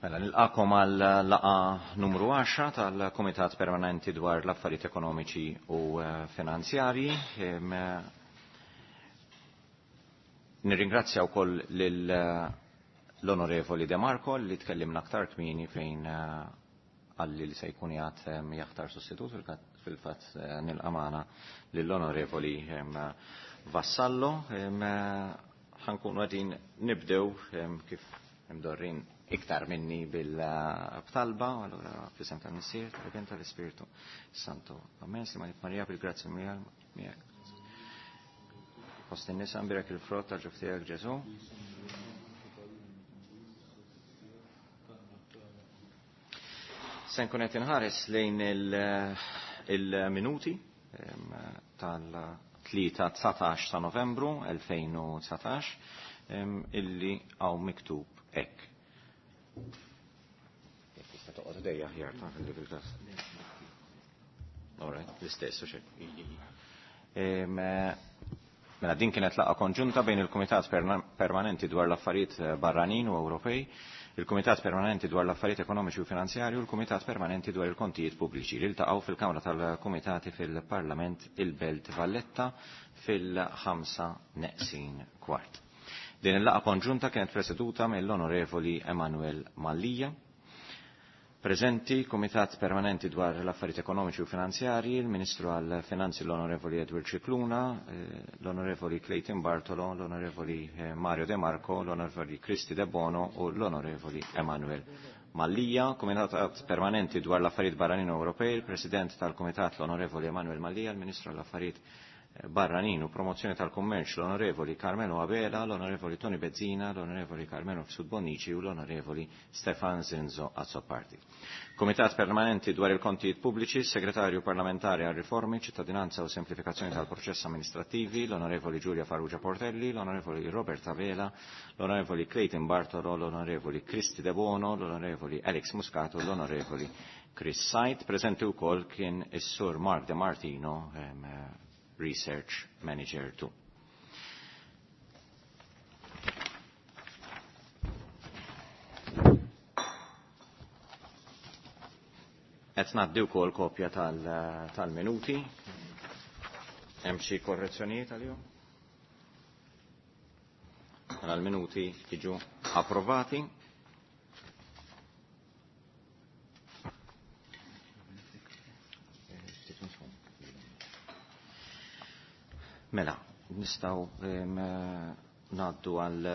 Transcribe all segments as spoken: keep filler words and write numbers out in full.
Mela, nilqakom għal laqa numru għaxra tal-Kumitat Permanenti dwar l-Affarijiet Ekonomiċi u Finanzjarji. Nirringrazzja wkoll lil l-Onorevoli De Marco li tkellimna aktar kmieni fejn għalli li se jkun jgħat jaħtar sostitut fil-fatt nilqa' magħna lill-Onorevoli Vassallo. Ħankunu qegħdin nibdew kif imdorrin iktar minni bil-talba, allura fl-isem tal-Missier, tal-Iben tal-Ispirtu Santo. Amen, Sima Marija bil-grazzja miegħek. Fost in-nisa mbirek il-frott tal-ġuf tiegħek Ġesu. Se nkun qed inħares lejn il-minuti tal-tlieta dsatax ta' Novembru elfejn u dsatax illi hawn miktub hekk. Jekk tista' toqgħod dejja aħjar ta' fil fil-każ. All right, l-istess u xejn. Mela din kienet laqgħa konġunta bejn il-Kumitat Permanenti dwar l-Affarijiet Barranin u Ewropej, il-Kumitat Permanenti dwar l-Affarijiet Ekonomiċi u Finanzjarji u l-Kumitat Permanenti dwar il-Kontijiet Pubbliċi li ltaqgħu fil-Kamra tal-Kumitati fil-Parlament il-Belt Valletta fil-ħamsa neqsin kwart. Din il-laqgħa konġunta kienet preseduta mill-Onorevoli Emanuel Mallia. Preżenti Kumitat Permanenti dwar l-Affarijiet Ekonomiċi u Finanzjarji, il-Ministru għall-Finanzi l-Onorevoli Edward Scicluna, l-Onorevoli Clayton Bartolo, l-Onorevoli Mario De Marco, l-Onorevoli Cristi De Bono u l-Onorevoli Emanuel Mallia. Kumitat Permanenti dwar l-Affarijiet Barranin Ewropej, il-President tal-Kumitat l-Onorevoli Emanuel Mallia, il-Ministru għall-Affarijiet Barranin u Promozzjoni tal-Kummerċ l-Onorevoli Carmelo Abela, l-Onorevoli Tony Bezzina, l-Onorevoli Carmelo Mifsud Bonnici u l-Onorevoli Stefan Zinzo Azzopardi. Kumitat Permanenti dwar il-Kontijiet Pubbliċi, Segretarju Parlamentari għal Riformi, Ċittadinanza u Semplifikazzjoni tal-Proċess Amministrativi, l-Onorevoli Giulia Farrugia Portelli, l-Onorevoli Robert Abela, l-Onorevoli Clayton Bartolo, l-Onorevoli Cristi De Bono, l-Onorevoli Alex Muscato, l-Onorevoli Chris Said. Preżenti wkoll kien is-Sur Mark De Martino, Research Manager two. Qed ngħaddi wkoll kopja tal-minuti. Hemm xi korrezzjonijiet għalihom? Mela l-minuti jiġu approvati. Mela, nistgħu ngħaddu għal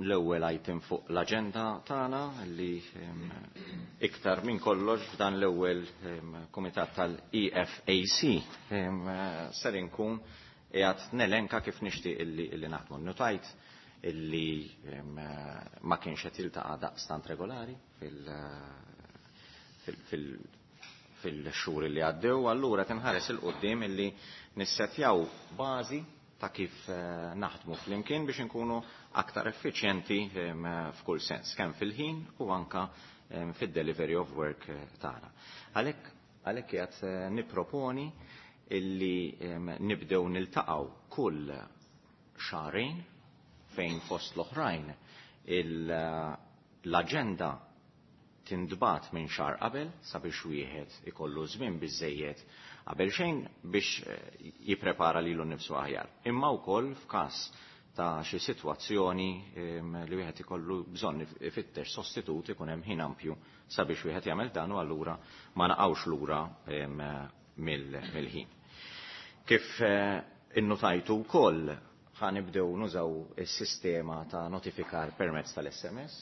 l-ewwel item fuq l-aġenda tagħna li iktar minn kollox f'dan l-ewwel kumitat tal-E F A C ser inkun qiegħed nelenka kif nixtieq illi, illi naħdmu. Notajt illi ma kienx qed jiltaqa' daqstant regolari fil-, fil, fil, fil-xhur li għaddew, allura tinħares il qudiem illi nissetjaw bażi ta' kif naħdmu flimkien biex inkunu aktar effiċjenti f'kull sens, kemm fil-ħin u anka fid-delivery of work tagħna. Għalhekk għalhekk qiegħed nipproponi illi nibdew niltaqgħu kull xahrejn fejn fost l-oħrajn l-aġenda tindbat minn xahar qabel sabiex wieħed ikollu żmien biżejjed qabel xejn biex jipprepara lilu nnifsu aħjar. Imma wkoll f'każ ta' xi sitwazzjoni li wieħed ikollu bżonn ifittex sostitut ikun hemm ħin ampju sabiex wieħed jagħmel dan u allura ma naqgħux lura mill-ħin. Kif innutajtu wkoll ħanibdew nużaw is-sistema ta' notifikar permezz tal-S M S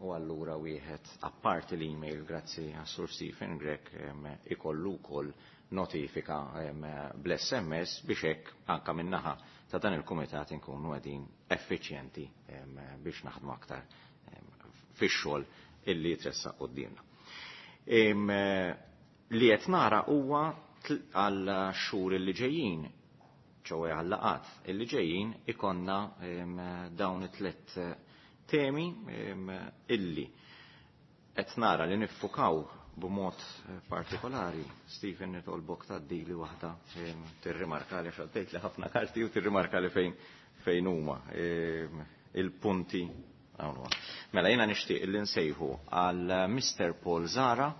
u allura wieħed apparti l-email grazzi għas-Sur Stephen Grech ikollu wkoll notifika bl-S M S biex hekk anka min-naħa ta' dan il-kumitat inkunu qegħdin effiċjenti biex naħdmu aktar fix-xogħol illi jitressaq quddiemna. Li qed nara huwa għal xhur illi ġejjin, ċowe għal laqat illi ġejjin ikonna dawn it-tliet temi illi qed nara li niffukaw b'mod partikolari. Stephen, nitolbok tgħaddi li waħda tirrimarka li xaddejt li ħafna karti u tirrimarka li fejn, fejn huma il-punti Hawn huwa. Mela jiena nixtieq li nsejħu għal Mister Paul Zahra,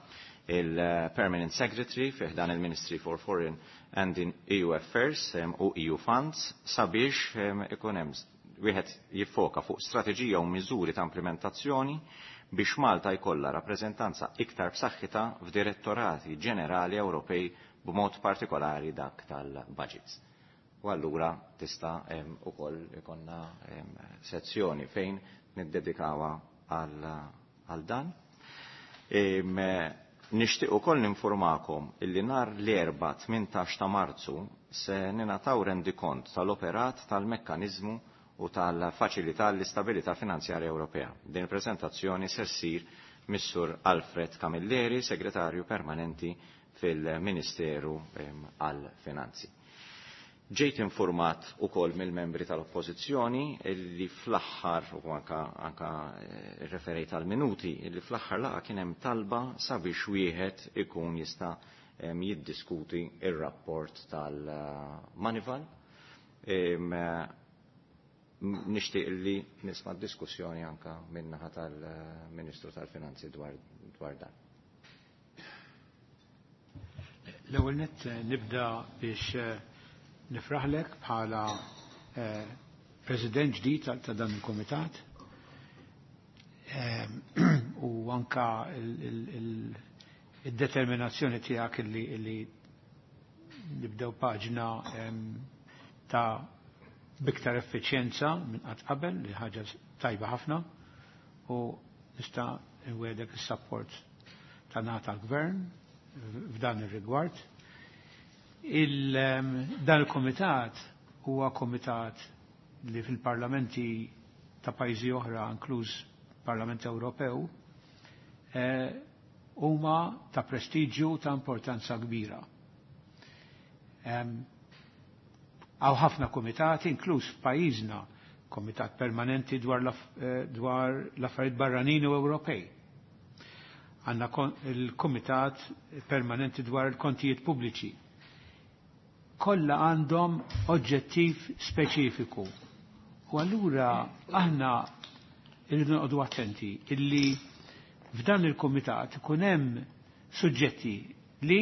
il-Permanent Secretary fi ħdan il-Ministry for Foreign and in E U Affairs u E U Funds, sabiex ikun hemm wieħed jiffoka fuq strateġija u miżuri ta' implementazzjoni biex Malta jkollha rappreżentanza iktar b'saħħitha f'direttorati ġenerali Ewropej, b'mod partikolari dak tal-budgets. U allura tista' ukoll ikollna sezzjoni fejn niddedikawha għal dan. Nixtieq ukoll ninformakom illi nhar l-Erbgħa tmintax ta' Marzu se ningħataw rendikont tal-operat tal-mekkaniżmu u tal-Faċilità l-Istabilità Finanzjarja Ewropea. Din il-prezentazzjoni se ssir mis-Sur Alfred Camilleri, Segretarju Permanenti fil-Ministeru għal-Finanzi. Ġejt informat ukoll mill-membri tal-Oppożizzjoni li fl-aħħar, u anka, anka eh, referejt għal minuti, li fl-aħħar laqa kien hemm talba sabiex wieħed ikun jista' jiddiskuti ir-rapport tal-Moneyval. Nixtieq li nisma' diskussjoni anka min-naħa tal-Ministru tal-Finanzi dwar, dwar dan. L-ewwel nett eh, nibda biex eh, nifraħlek bħala eh, president ġdid ta' dan il-komitat u anka il-determinazzjoni tiegħek illi nibdew paġna ta' biktar effiċjenza minn qatt qabel, li ħaġa tajba ħafna, u nista' nwegħdek is-support ta' tal-gvern f'dan ir-rigward. Il, dan il-komitat huwa komitat li fil-parlamenti ta' pajjiżi oħra, inkluż Parlament Ewropew, eh, huma ta' prestiġju, ta' importanza kbira. Hawn ħafna komitati, inkluż f'pajjiżna, komitat permanenti dwar eh, l-affarijiet barranin u Ewropej. Għandna il-komitat permanenti dwar il-kontijiet pubbliċi. Kollha għandhom oġġettiv speċifiku. U allura aħna irridu noqogħdu attenti illi f'dan il-komitat ikun hemm suġġetti li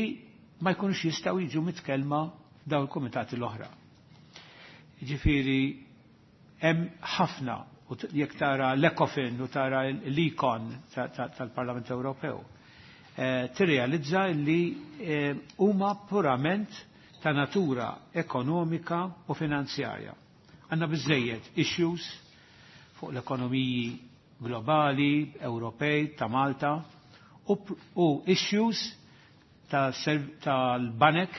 ma jkunux jistgħu jiġu mitkellma f'dawn il-komitati l-oħra. Ġifieri hemm ħafna, u jekk tara l-Ecofin u tara l-Econ tal-Parlament Ewropew, eh, tirrealizza li eh, huma purament ta' natura ekonomika u finanzjarja. Għandna biżejjed issues fuq l-ekonomiji globali, Ewropej, ta' Malta, u, u issues tal-banek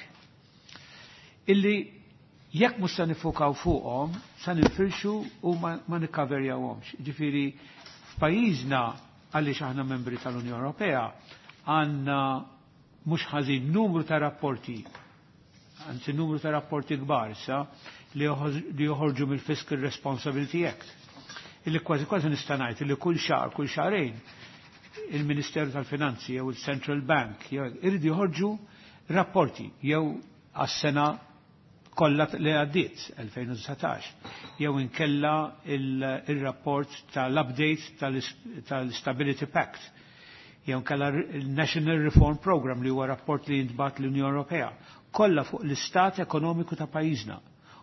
illi jekk mhux se nifukaw fuqhom, se ninfirxu u ma, ma nikkaverjawhomx. Ġifieri f'pajjiżna, għaliex aħna membri tal-Unjoni Ewropea, għandna mhux ħażin numru ta' rapporti, anzi numru ta' rapporti kbar issa li joħorġu mill-Fiscal Responsibility Act. Illi kważi kważi nista' ngħid illi kull xahar, kull xahrejn, il-Ministeru tal-Finanzi jew il-Central Bank jew iridu joħorġu rapporti jew għas-sena kollha li għaddiet elfejn u dsatax jew inkella il-rapport tal-update tal-Stability Pact jew inkella il-National Reform Program, li huwa rapport li jintbagħat l-Unjoni Ewropea, kollha fuq l-istat ekonomiku ta' pajjiżna.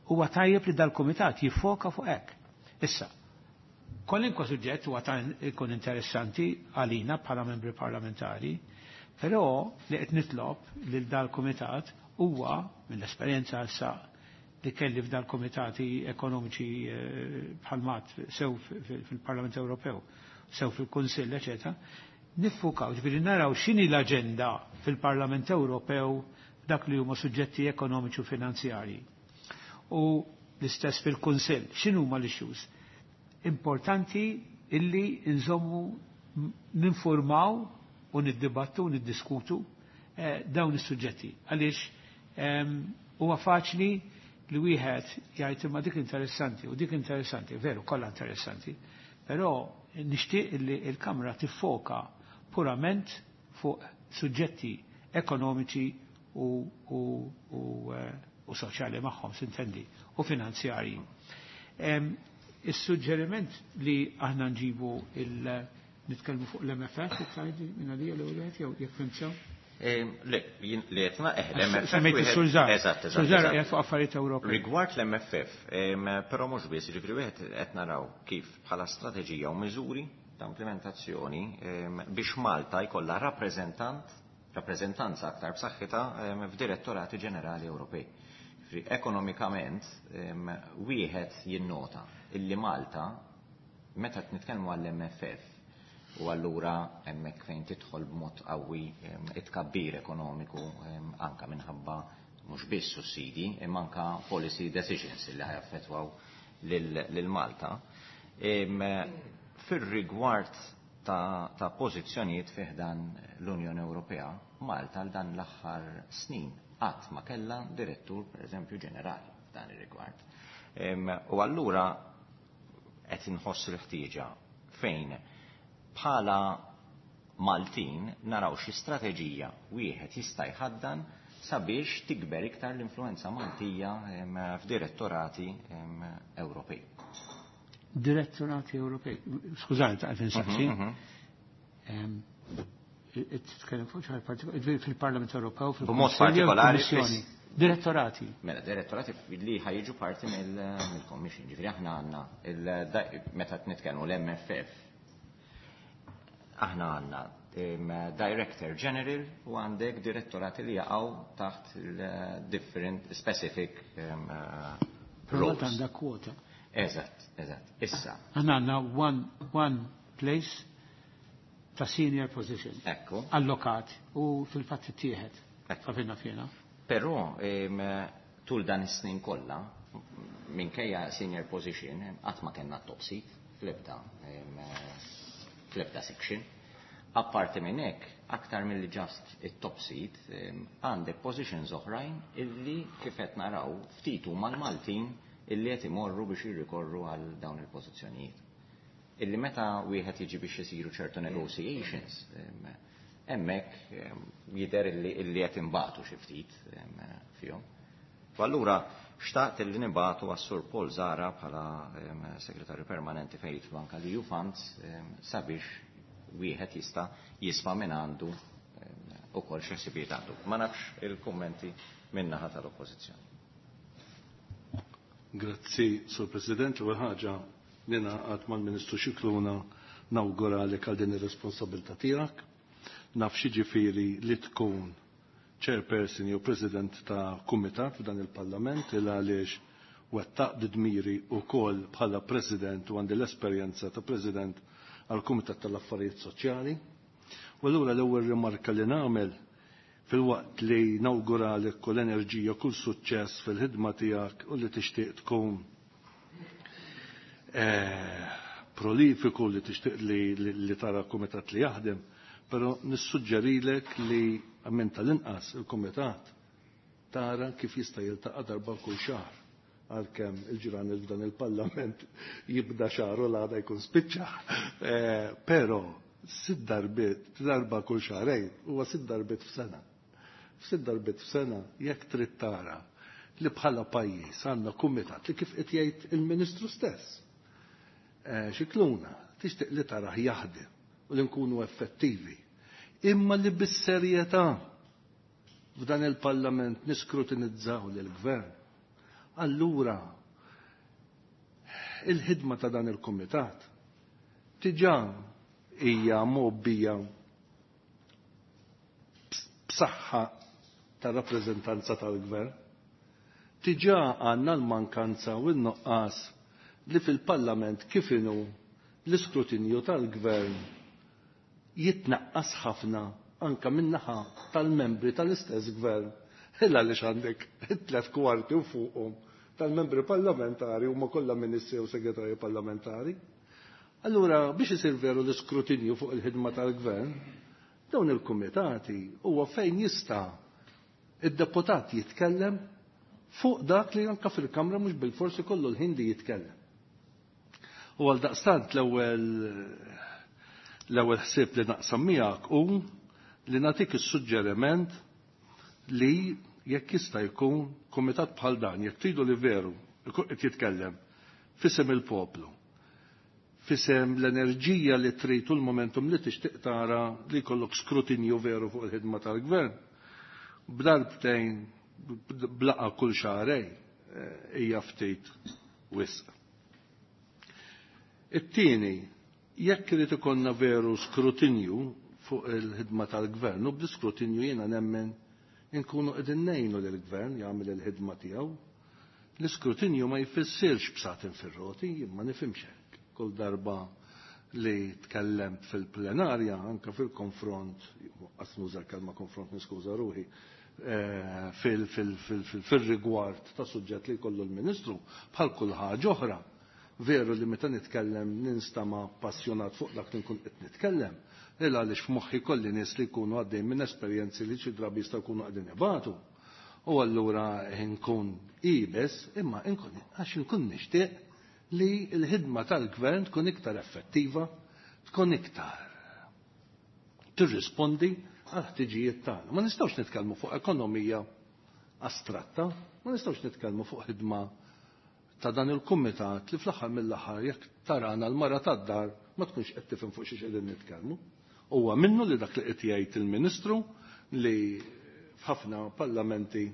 Huwa tajjeb li dal-kumitat jiffoka fuq hekk. Issa, kwalunkwe suġġett huwa ta' ikun interessanti għalina bħala membri parlamentari, però li qed nitlob lil dal-kumitat huwa, mill-esperjenza issa li kelli f'dal-komitati ekonomiċi eh, bħal mat sew fil-Parlament Ewropew, sew fil-Kunsill, eċetera, niffukaw, ġifieri naraw x'inhi l-aġenda fil-Parlament Ewropew dak li huma suġġetti ekonomiċi u finanzjarji. U l-istess fil-Kunsill, x'inhuma l-issues? Importanti illi nżommu ninformaw u niddibattu u niddiskutu eh, dawn is-suġġetti. Għaliex huwa faċli li wieħed jgħid imma dik interessanti u dik interessanti, veru, kollha interessanti, però nixtieq li l-Kamra tiffoka purament fuq suġġetti ekonomiċi u, u, u, eh, u soċjali magħhom, sintendi, u finanzjarji. Is-suġġeriment li aħna nġibu il nitkellmu fuq l-M F F, tgħidi minn għalija l-ewwel jew jekk fhimt sew? Le, li qed eh, l-M F F. Semmejt is-Sur Zahra. Eżatt, eżatt. Sur Zahra qiegħed fuq affarijiet Ewropej. Rigward l-M F F, però mhux biss, jiġifieri wieħed qed naraw kif bħala strateġija u miżuri ta' implementazzjoni biex Malta jkollha rappreżentant, rappreżentanza aktar b'saħħitha f'direttorati ġenerali Ewropej. Ekonomikament, wieħed jinnota illi Malta, meta nitkellmu għall-M F F, u allura hemmhekk fejn tidħol b'mod qawwi it-tkabbir ekonomiku, anka minħabba mhux biss sussidi imma anka policy decisions li ħa jaffettwaw lil Malta. Fir-rigward ta', ta pożizzjonijiet fi ħdan l-Unjoni Ewropea, Malta għal dan l-aħħar snin qatt ma kellha direttur, pereżempju, ġenerali f'dan ir-rigward. U allura qed inħoss il-ħtieġa fejn bħala Maltin naraw xi strateġija wieħed jista' jħaddan sabiex tikber iktar l-influenza Maltija f'direttorati Ewropej. Direttorati Ewropej. Skużani, ta' insaqsi. Mhm, mhm. Titkellem fuq xi fil-Parlament Ewropew, B'mod partikolari fil-Kummissjoni. Direttorati. Mela, direttorati li ħa jiġu parti mill-Commission. Ġifieri aħna għandna, meta nitkellmu l-M F F, aħna għandna Director General u għandek direttorati li jaqgħu taħt il-different specific um, roles. Għandha kwota. Eżatt, eżatt. Issa. Aħna għandna one, one place ta' senior position. Ekku. Allokat u fil-fatt ittieħed. Għafinna fjena. Però tul dan is-snin kollha, minkejja senior position, qatt ma kellna top seat fl-ebda fl-ebda section. Apparti minn hekk, aktar mill just it-top seat, għandek positions oħrajn illi kif qed naraw ftit huma l-Maltin illi qed imorru biex jirrikorru għal dawn il-pożizzjonijiet. Illi meta wieħed jiġi biex isiru ċertu negotiations, hemmhekk jidher illi qed imbatu xi ftit fihom. U allura xtaqt illi nibagħtu għas-Sur Paul Zahra bħala segretarju permanenti fejn jidħlu anke l-E U Funds, sabiex wieħed jista' jisma' minn għandu ukoll xi ħsibijiet għandu. Ma nafx il-kummenti min-naħa tal-Oppożizzjoni. Grazzi, Sur President. L-ewwel ħaġa, ningħaqad mal-Ministru Scicluna, nawguralek għal din ir-responsabilità tiegħek. Naf x'jiġifieri li tkun chairperson jew president ta' kumitat f'dan il-Parlament, il għaliex wettaqt dmiri ukoll bħala president u għandi l-esperjenza ta' president għal Kumitat tal-Affarijiet Soċjali. U allura l-ewwel rimarka li nagħmel, filwaqt li nawguralek kull enerġija, kull suċċess fil-ħidma tiegħek u li tixtieq tkun eh, prolifiku, li tixtieq li, li, li tara kumitat li jaħdem, però nissuġġerilek li minn tal-inqas il-kumitat tara kif jista' jiltaqa' darba kull xahar, għalkemm il-ġran f'dan il-parlament jibda xahar u l-għada jkun spiċċa. Eh, però sitt darbiet, darba kull xahrejn, huwa sitt darbiet f'sena. F'sitt darbiet f'sena, jekk trid tara li bħala pajjiż għandna kumitat li, kif qed jgħid il-Ministru stess, Eh, Scicluna, tixtieq li tarah jaħdem u li nkunu effettivi. Imma li bis-serjetà f'dan il-Parlament niskrutinizzaw lill-gvern. Allura il-ħidma ta' dan il-kumitat diġà hija mgħobbija b'saħħa ta' rappreżentanza tal-gvern. Diġà għandna l-mankanza u n-nuqqas li fil-Parlament kif inhu l-iskrutinju tal-gvern jitnaqqas ħafna anka min-naħa tal-membri tal-istess gvern. Illa li għandek tlet kwarti u fuqhom tal-membri parlamentari huma kollha ministri u segretarji parlamentari. Allura, biex isir veru l-iskrutinju fuq il-ħidma tal-gvern, dawn il-kumitati huwa fejn jista' id-deputat jitkellem fuq dak li anka fil-Kamra mhux bil-forsi kollu l-ħin li jitkellem. U għal daqstant l-ewwel l-ewwel ħsieb li naqsam miegħek hu li nagħtik is-suġġeriment li jekk jista' jkun kumitat bħal dan, jekk tridu li veru qed jitkellem f'isem il-poplu. fisem l-enerġija li trid u l-momentum li tixtieq tara li jkollok skrutinju veru fuq il-ħidma tal-gvern. B'darbtejn blaqa kull xahrejn hija ftit wisq. It-tieni, jekk irid ikollna veru skrutinju fuq il-ħidma tal-gvern, u bl-iskrutinju jiena nemmen inkunu qegħdin ngħinu lill-gvern jagħmel il-ħidma tiegħu. L-iskrutinju ma jfissirx b'satin fir-roti, jien ma nifhimx hekk. Kull darba li tkellemt fil-plenarja, anke fil-konfront, qas nuża l-kelma konfront niskuża ruħi, fil-rigward ta' suġġett li jkollu l-Ministru, bħal kull ħaġa oħra. Veru li meta nitkellem ninstama passjonat fuq dak li nkun qed nitkellem, il għaliex f'moħħi kolli nies li jkunu għaddejn minn esperjenzi li xi drabi jistgħu jkunu qegħdin ibatu. U allura nkun ibes, imma nkun għax nkun nixtieq li l-ħidma tal-gvern tkun iktar effettiva, tkun iktar tirrispondi għal ħtiġijiet tagħna. Ma nistgħux nitkellmu fuq ekonomija astratta, ma nistgħux nitkellmu fuq ħidma ta' dan il-kumitat li fl-aħħar mill-aħħar jekk tarana l-mara tad-dar ma tkunx qed tifhem fuq xi qegħdin nitkellmu. Huwa minnu li dak li qed jgħid il-Ministru li f'ħafna parlamenti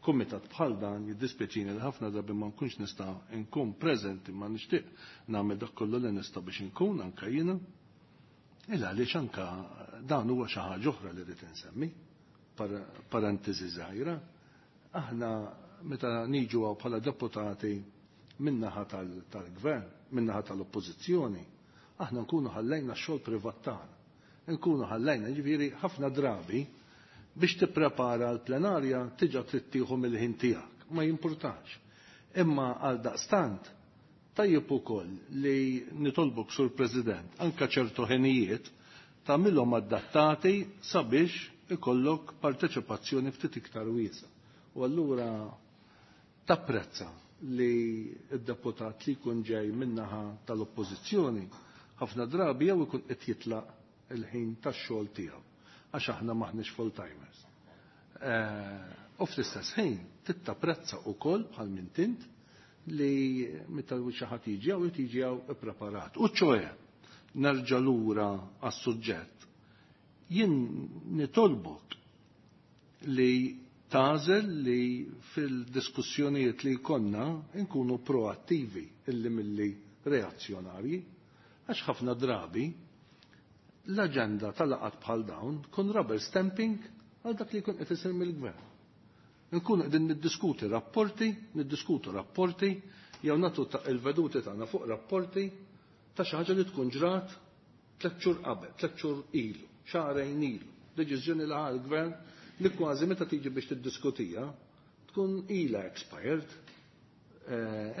kumitat bħal dan jiddispjaċini li ħafna drabi ma nkunx nista' nkun preżenti, ma nixtieq nagħmel dak kollu li nista' biex inkun anke jiena. Illa għaliex anke dan huwa xi ħaġa oħra li rrid insemmi, parentesi żgħira. Aħna meta niġu hawn bħala deputati min-naħa tal-gvern, min-naħa tal-oppożizzjoni, aħna nkunu ħallejna x-xogħol privat tagħna. Nkunu ħallejna, ġifieri ħafna drabi biex tipprepara l-plenarja tiġa trid tieħu mill-ħin tiegħek, ma jimpurtax. Imma għal daqstant tajjeb ukoll li nitolbok sur President anke ċertu ħinijiet tagħmilhom adattati sabiex ikollok parteċipazzjoni ftit iktar wiesa. U allura tapprezza li d-deputat li jkun ġej min-naħa tal-oppożizzjoni ħafna drabi jew ikun qed jitlaq il-ħin tax-xogħol tiegħu għax aħna maħniex full-timers. U fl-istess ħin tittapprezza wkoll bħal minn tint li meta xi ħadd jiġi hawn jiġi hawn ippreparat. U ċoe nerġa' lura għas-suġġett. Jien nitolbok li tażel li fil-diskussjonijiet li jkollna nkunu proattivi illi milli reazzjonarji, għax ħafna drabi l-aġenda tal-laqgħat bħal dawn tkun rubber stamping għal dak li jkun qed isir mill-gvern. Nkunu qegħdin niddiskuti rapporti, niddiskutu rapporti, jew nagħtu il-veduti tagħna fuq rapporti ta' xi ħaġa li tkun ġrat tliet xhur qabel, tliet xhur ilu, xahrejn ilu, deċiżjoni li ħa l-gvern li kważi meta tiġi biex tiddiskutija tkun ilha expired.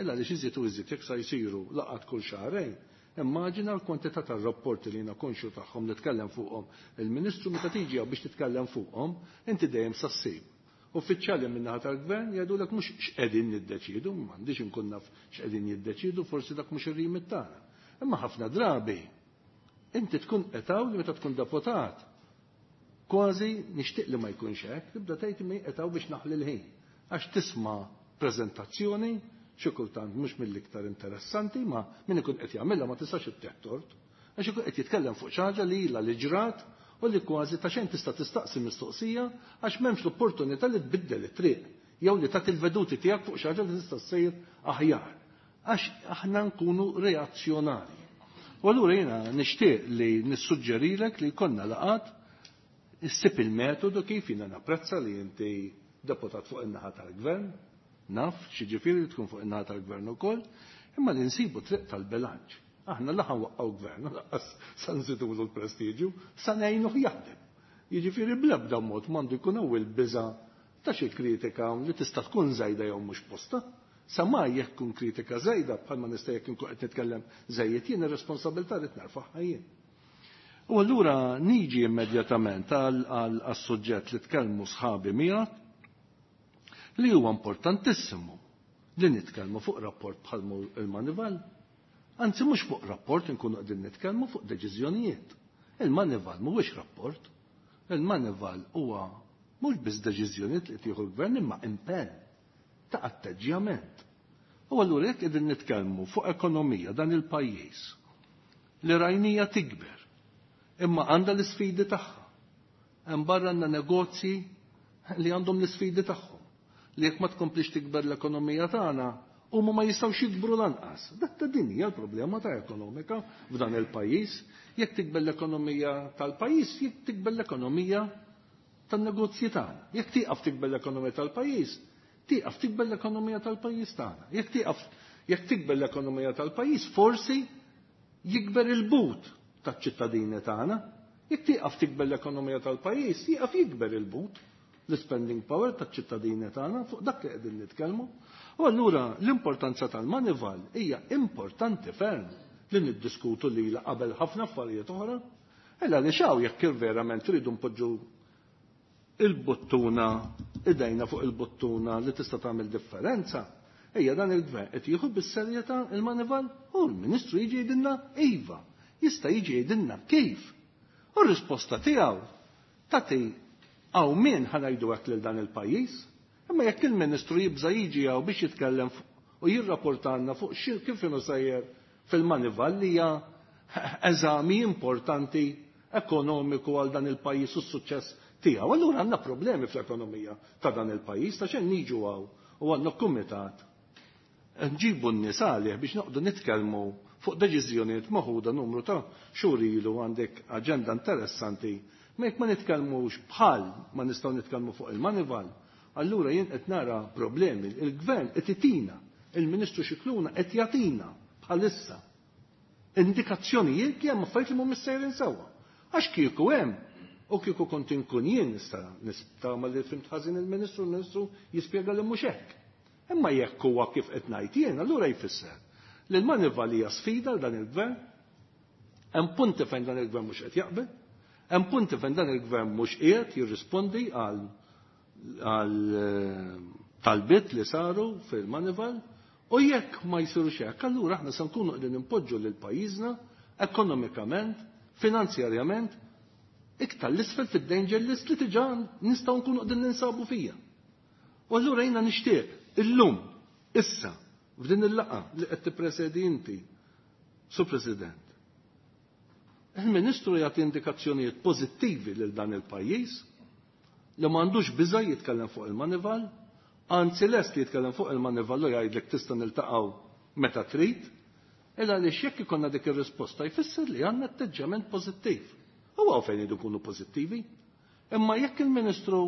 Illa li iżjed u iżjed jekk sa jsiru laqgħat kull xahrejn, immaġina l-kwantità tar-rapporti li jiena konxju tagħhom li tkellem fuqhom il-Ministru meta tiġi biex titkellem fuqhom, inti dejjem sa ssib. Uffiċjali min-naħa tal-gvern jgħidulek mhux x'qegħdin niddeċiedu, m'għandix inkun naf x'qegħdin jiddeċiedu, forsi dak mhux ir-rimit tagħna. Imma ħafna drabi inti tkun qed hawn li meta tkun deputat kważi nixtieq li ma jkunx hekk, tibda tgħid mi qed hawn biex naħli l-ħin. Għax tisma' preżentazzjoni xi kultant mhux mill-iktar interessanti, ma min ikun qed jagħmilha ma tistax ittieħ tort, għax ikun qed jitkellem fuq xi ħaġa li ilha li ġrat u li kważi ta' xejn tista' tistaqsi mistoqsija għax m'hemmx l-opportunità li tbiddel it-triq jew li tagħti l-veduti tiegħek fuq xi ħaġa li tista' ssir aħjar. Għax aħna nkunu reazzjonarji. U allura jiena nixtieq li nissuġġerilek li jkollna laqgħat issib il-metodu kif jiena napprezza li inti deputat fuq in-naħa tal-gvern, naf x'jiġifieri li tkun fuq in-naħa tal-gvern ukoll, imma li nsibu triq tal-bilanċ. Aħna la ħanwaqqgħu gvern, lanqas sa nżidulu l-prestiġju, sa ngħinuh jaħdem. Jiġifieri bl-ebda mod m'għandu jkun hawn il-biża' ta' xi kritika li tista' tkun żejda jew mhux posta. Sa ma jekk tkun kritika żejda bħalma nista' jekk inkun qed nitkellem żejjed jien ir-responsabilità li nerfagħha jien. U allura niġi immedjatament għal-suġġett li tkellmu sħabi miegħek li huwa importantissimu li nitkellmu fuq rapport bħal il-Manival. Anzi mhux fuq rapport inkunu qegħdin nitkellmu fuq deċiżjonijiet. Il-Manival mhuwiex rapport. Il-Manival huwa mhux biss deċiżjonijiet li tieħu l-gvern imma impenn ta' atteġġjament. U allura jekk qegħdin nitkellmu fuq ekonomija dan il-pajjiż li rajnija tikber, imma għandha l-isfidi tagħha. Hemm barra għandna negozji li għandhom l-isfidi tagħhom. Li jekk ma tkomplix tikber l-ekonomija tagħna, huma ma jistgħux jikbru lanqas. Dak ta' din hija l-problema ta' ekonomika f'dan il-pajjiż. Jekk tikber l-ekonomija tal-pajjiż, jekk tikber l-ekonomija tan-negozji tagħna. Jekk tieqaf tikber l-ekonomija tal-pajjiż, tieqaf tikber l-ekonomija tal-pajjiż tagħna. Jekk tieqaf jekk tikber l-ekonomija tal-pajjiż, forsi jikber il-but taċ-ċittadini tagħna. Jekk tieqaf tikber l-ekonomija tal-pajjiż, jieqaf jikber il-but, l-spending power taċ-ċittadini tagħna, fuq dak li qegħdin nitkellmu. U allura l-importanza tal-Moneyval hija importanti ferm li niddiskutu lilha qabel ħafna affarijiet oħra. Illa li xaw jekk verament tridu npoġġu il-buttuna, idejna fuq il-buttuna li tista' tagħmel differenza, ejja dan il-gvern qed jieħu bis-serjetà il-Moneyval u l-Ministru jiġi jgħidilna iva, jista' jiġi jgħidilna kif. U r-risposta tiegħu tagħti hawn min ħa ngħidu hekk lil dan il-pajjiż, imma jekk il-Ministru jibża' jiġi hawn biex jitkellem u jirrapportanna fuq xi kif inhu sejjer fil-Moneyval li hija eżami importanti ekonomiku għal dan il-pajjiż u s-suċċess tiegħu. Allura għandna problemi fl-ekonomija ta' dan il-pajjiż ta' xejn niġu hawn u għandna kumitat nġibu n-nies għalih biex noqogħdu nitkellmu fuq deċiżjonijiet maħuda numru ta' xhur ilu għandek aġenda interessanti. Ma jekk ma nitkellmux bħal ma nistgħu nitkellmu fuq il-Moneyval, allura jien qed nara problemi. Il-gvern qed itina, il-Ministru Scicluna qed jagħtina bħalissa indikazzjonijiet li hemm affarijiet li mhumiex sejrin sewwa. Għax kieku hemm u kieku kont inkun jien nista' nista' ma li fimt ħażin il-Ministru, il-Ministru jispjega li mhux hekk. Imma jekk huwa kif qed ngħid jien, allura jfisser li l-Moneyval hija sfida għal dan il-gvern, hemm punti fejn dan il-gvern mhux qed jaqbel, hemm punti fejn dan il-gvern mhux qiegħed jirrispondi għal għal talbiet li saru fil-Moneyval, u jekk ma jsirux hekk, allura aħna se nkunu qegħdin impoġġu lil pajjiżna ekonomikament, finanzjarjament, iktar l-isfel fid-danger list li diġà nistgħu nkunu qegħdin ninsabu fija. U allura jiena nixtieq illum, issa, f'din il-laqgħa li qed tippresedi inti, Sur President, il-Ministru jagħti indikazzjonijiet pożittivi lil dan il-pajjiż li m'għandux biża' jitkellem fuq il-Moneyval, anzi lest li jitkellem fuq il-Moneyval u jgħidlek tista' niltaqgħu meta trid, illa għaliex jekk ikollna dik ir-risposta jfisser li għandna atteġġjament pożittiv. U hawn fejn idu jkunu pożittivi. Imma jekk il-Ministru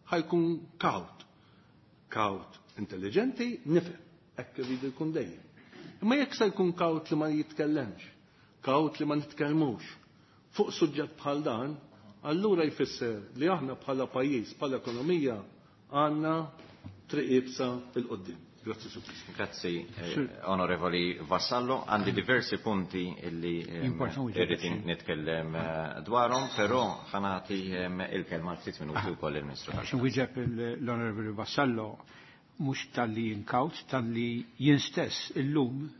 ħajkun kawt, kawt intelligenti, nifhem, hekk iridu jkun dejjem. Imma jekk se jkun kawt li ma jitkellemx, kawt li ma nitkellmux fuq suġġett bħal dan, allura jfisser li aħna bħala pajjiż, bħala ekonomija, għandna triq iebsa 'l quddiem. Grazzi, Sur President. Grazzi, eh, Onorevoli Vassallo. Għandi diversi punti illi irrid nitkellem dwarhom, però ħa nagħti il-kelma għal ftit minuti wkoll il-Ministru. Biex nwieġeb l-Onorevoli Vassallo, mhux talli jinkawt, talli jien stess illum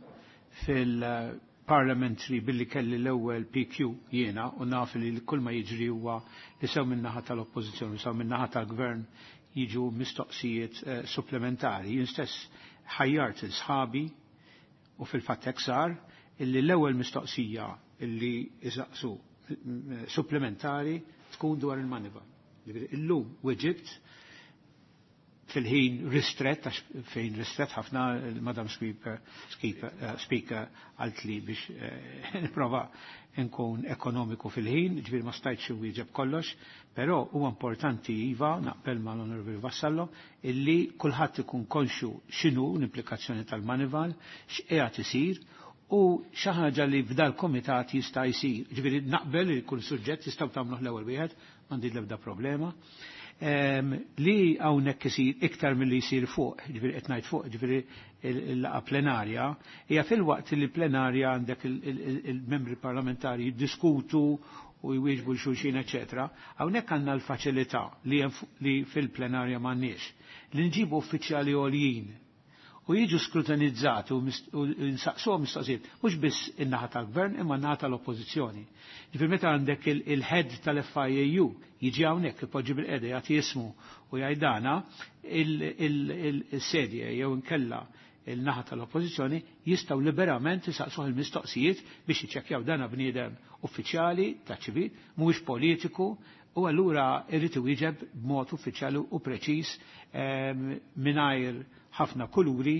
fil-parliamentary billi kelli l-ewwel P Q jiena u naf li kull ma jiġri huwa li sew min-naħa tal-Oppożizzjoni, sew min-naħa tal-Gvern jiġu mistoqsijiet supplementari. Jien stess ħajjart il-sħabi u fil-fatt hekk sar illi l-ewwel mistoqsija illi isaqsu supplementari tkun dwar il-Moneyval. Ġifieri illum weġibt fil-ħin ristret, għax fejn ristret ħafna il-Madam Speaker, Speaker għalt li biex nipprova nkun ekonomiku fil-ħin, ġifieri ma stajtx inwieġeb kollox, però huwa importanti iva, naqbel ma l-Onorevoli Vassallo, illi kulħadd ikun konxu x'inhu l-implikazzjoni tal-Moneyval, x'qiegħed isir, u xi ħaġa li f'dal komitat jista' jsir. Ġifieri naqbel li kull suġġett jistgħu tagħmluh l-ewwel wieħed, m'għandi l-ebda problema. Li hawnhekk isir iktar milli jsir fuq, ġifieri qed ngħid fuq, ġifieri il-laqgħa plenarja, hija fil-waqt li plenarja għandek il-membri parlamentari jiddiskutu u jwieġbu l-xulxin, eċetera. Hawnhekk għandna l-faċilità li fil-plenarja m'għandniex. Li nġibu uffiċjali għoljin u jiġu skrutinizzati u nsaqsuhom mistoqsijiet, mhux biss in-naħa tal-gvern imma n-naħa tal-oppożizzjoni. Ġifieri meta għandek il-head tal-F I A U jiġi hawnhekk ipoġġi bil-qeda jagħti ismu u jgħidana il-sedje jew inkella il-naħa tal-oppożizzjoni jistgħu liberament isaqsuh il-mistoqsijiet biex jiċċekkjaw dana bniedem uffiċjali ta' ċivil, mhuwiex politiku, u allura irid iwieġeb b'mod uffiċjali u preċiż mingħajr ħafna kuluri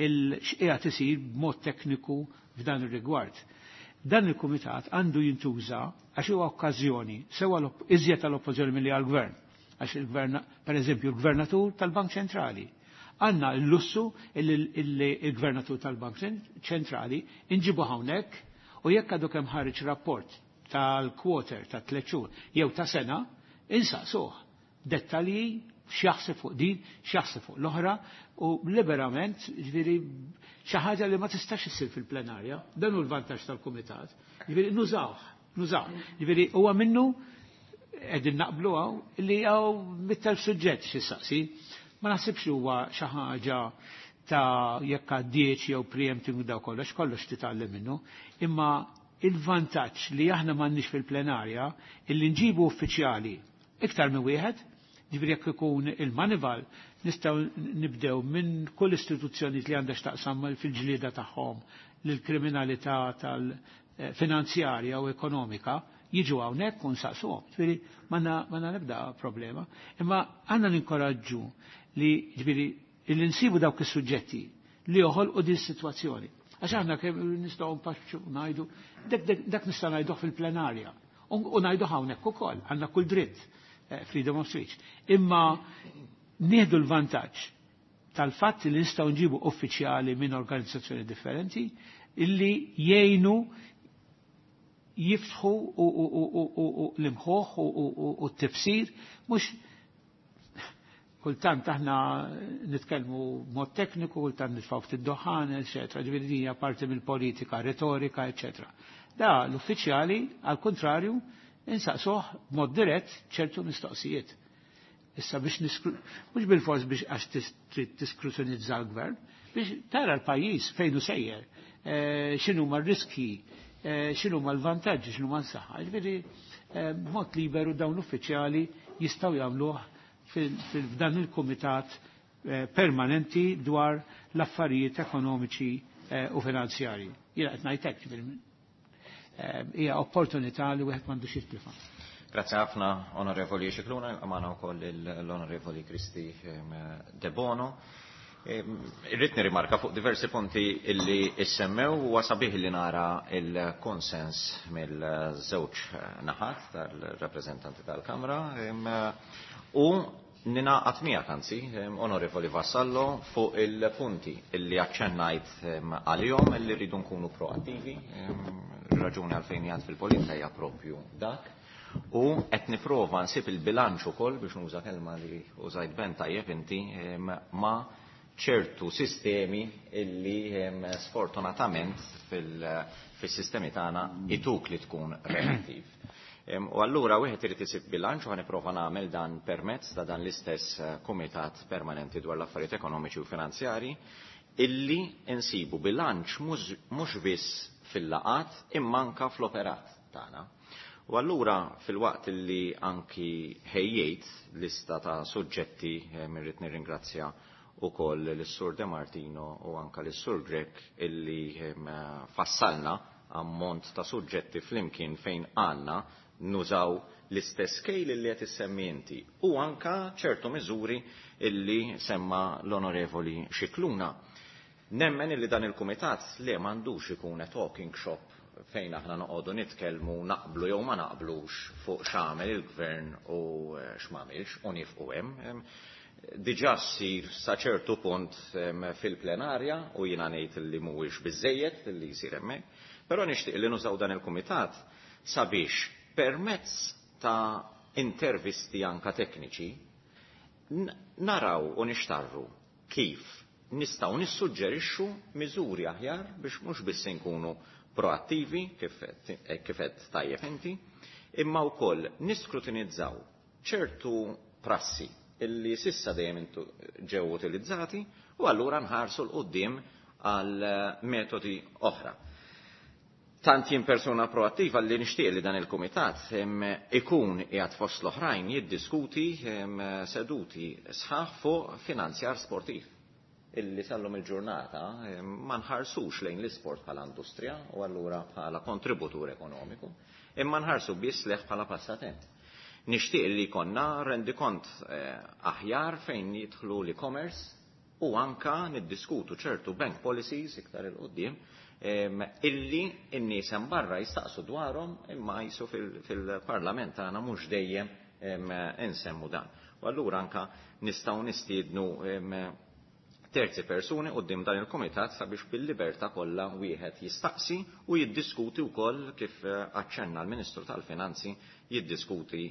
il-xqiegħed isir b'mod tekniku f'dan ir-rigward. Dan il-kumitat għandu jintuża għax huwa okkażjoni sewa iżjed tal-oppożizzjoni milli għall-gvern. Għax il-gvern, per eżempju, il-gvernatur tal-Bank Ċentrali. Għanna l-lussu il-gvernatur tal-Bank Ċentrali inġibu hawnhekk u jekk għadu kemm ħareġ rapport tal-quarter ta' tliet xhur jew ta' sena, insaqsuh dettalji x'jaħseb fuq din, x'jaħseb fuq l-oħra u liberament, ġifieri xi ħaġa li ma tistax issir fil-plenarja, dan hu l-vantaġġ tal-kumitat. Ġifieri nużawh, nużawh. Ġifieri huwa minnu qegħdin naqblu hawn li hawn mittelf suġġett xi saqsi. Ma naħsibx li huwa xi ħaġa ta' jekk għaddiex jew preempting daw kollox, kollox titgħallem minnu, imma il-vantaġġ li aħna m'għandniex fil-plenarja illi nġibu uffiċjali iktar minn wieħed, ġifieri jekk ikun il-manival nistgħu nibdew minn kull istituzzjoni li għandha x'taqsam fil-ġlieda tagħhom lill-kriminalità tal-finanzjarja u ekonomika jiġu hawnhekk u nsaqsuhom. Ġifieri m'għandna nibda problema. Imma għandna ninkoraġġu li ġifieri li nsibu dawk is-suġġetti li joħolqu din is-sitwazzjoni. Għax aħna kemm nistgħu npaxxu ngħidu, dak nista' ngħiduh fil-plenarja. U ngħidu hawnhekk ukoll, għandna kull dritt, freedom of speech. Imma nieħdu l-vantaġġ tal-fatt li nistgħu nġibu uffiċjali minn organizzazzjoni differenti illi jgħinu jiftħu l-imħuħ u t-tifsir, mhux kultant aħna nitkellmu mod tekniku, kultant nitfgħu ftit doħan, eċetera. Ġifieri din hija parti mill-politika, retorika, eċetera. Da l-uffiċjali, għal kontrarju, insaqsuh b'mod dirett ċertu mistoqsijiet. Issa biex mhux bil-fors biex għax trid tiskrutinizza l-gvern, biex tara l-pajjiż fejn hu sejjer, x'inhuma r-riski, x'inhuma l-vantaġġi, x'inhuma l-saħħa. Ġifieri b'mod liberu dawn l-uffiċjali jistgħu jagħmluh f'dan il-kumitat permanenti dwar l-affarijiet ekonomiċi u finanzjarji. Jiena qed ngħid hekk, hija opportunità li wieħed m'għandux jitlifha. Grazie ħafna, Onorevoli Scicluna, għamana wkoll l-Onorevoli Kristi Debono. Irrid nirrimarka fuq diversi punti illi issemmew u sabiħ li nara il-konsens mill-żewġ naħat tal-rappreżentanti tal-Kamra u ninaqat miegħek anzi, Onorevoli Vassallo, fuq il-punti illi aċċennajt għalihom illi rridu nkunu proattivi, raġuni għalfejn jgħad fil-politika hija propju dak. U qed nipprova nsib il-bilanċ ukoll biex nuża kelma li użajt ben tajjeb inti ma' ċertu sistemi illi sfortunatament fil-sistemi tagħna ituk li tkun reattiv. U allura wieħed irid isib bilanċ u ħaniprova nagħmel dan permezz ta' dan l-istess kumitat permanenti dwar l-affarijiet ekonomiċi u finanzjari illi insibu bilanċ mhux biss fil-laqat imma anke fl-operat tagħna. U allura fil-waqt illi anki ħejjejt lista ta' suġġetti mirrid nirringrazzja ukoll lis-Sur De Martino u anka lis-Sur Grech illi fassalna ammont ta' suġġetti flimkien fejn għandna nużaw l-istess scale illi qed issemmi inti u anka ċertu miżuri illi semma l-Onorevoli Scicluna. Nemmen illi dan il-kumitat li m'għandux ikun a talking shop fejn aħna noqogħdu nitkellmu naqblu jew ma naqblux fuq x'għamel il-gvern u x'm'għamilx u nifqu hemm. Diġà ssir sa ċertu punt fil-plenarja u jiena ngħid li mhuwiex biżejjed li jsir hemmhekk, però nixtieq li nużaw dan il-kumitat sabiex permezz ta' intervisti anka tekniċi naraw u nixtarru kif nistgħu nissuġġerixxu miżuri aħjar biex mhux biss inkunu proattivi kif qed tajjeb inti, imma wkoll niskrutinizzaw ċertu prassi illi sissa dejjem ġew utilizzati u allura nħarsu l-qudiem għal metodi oħra. Tant jien persuna proattiva li nixtieq li dan il-kumitat ikun qiegħed fost l-oħrajn jiddiskuti seduti sħaħ fuq finanzjar sportiv. illi sallum il-ġurnata ma nħarsux lejn l-isport bħala industrija u allura bħala kontributur ekonomiku, imma nħarsu biss leħ bħala passatemp. Nixtieq li jkollna rendikont aħjar fejn jidħlu l-e-commerce u anka niddiskutu ċertu bank policies iktar il-qoddim illi n-nies hemm barra jistaqsu dwarhom imma jisu fil-parlament tagħna mhux dejjem insemmu dan. U allura anka nistgħu nistiednu terzi persuni quddiem dan il-kumitat sabiex bil-libertà kollha wieħed jistaqsi u jiddiskuti wkoll kif aċċenna l-Ministru tal-Finanzi jiddiskuti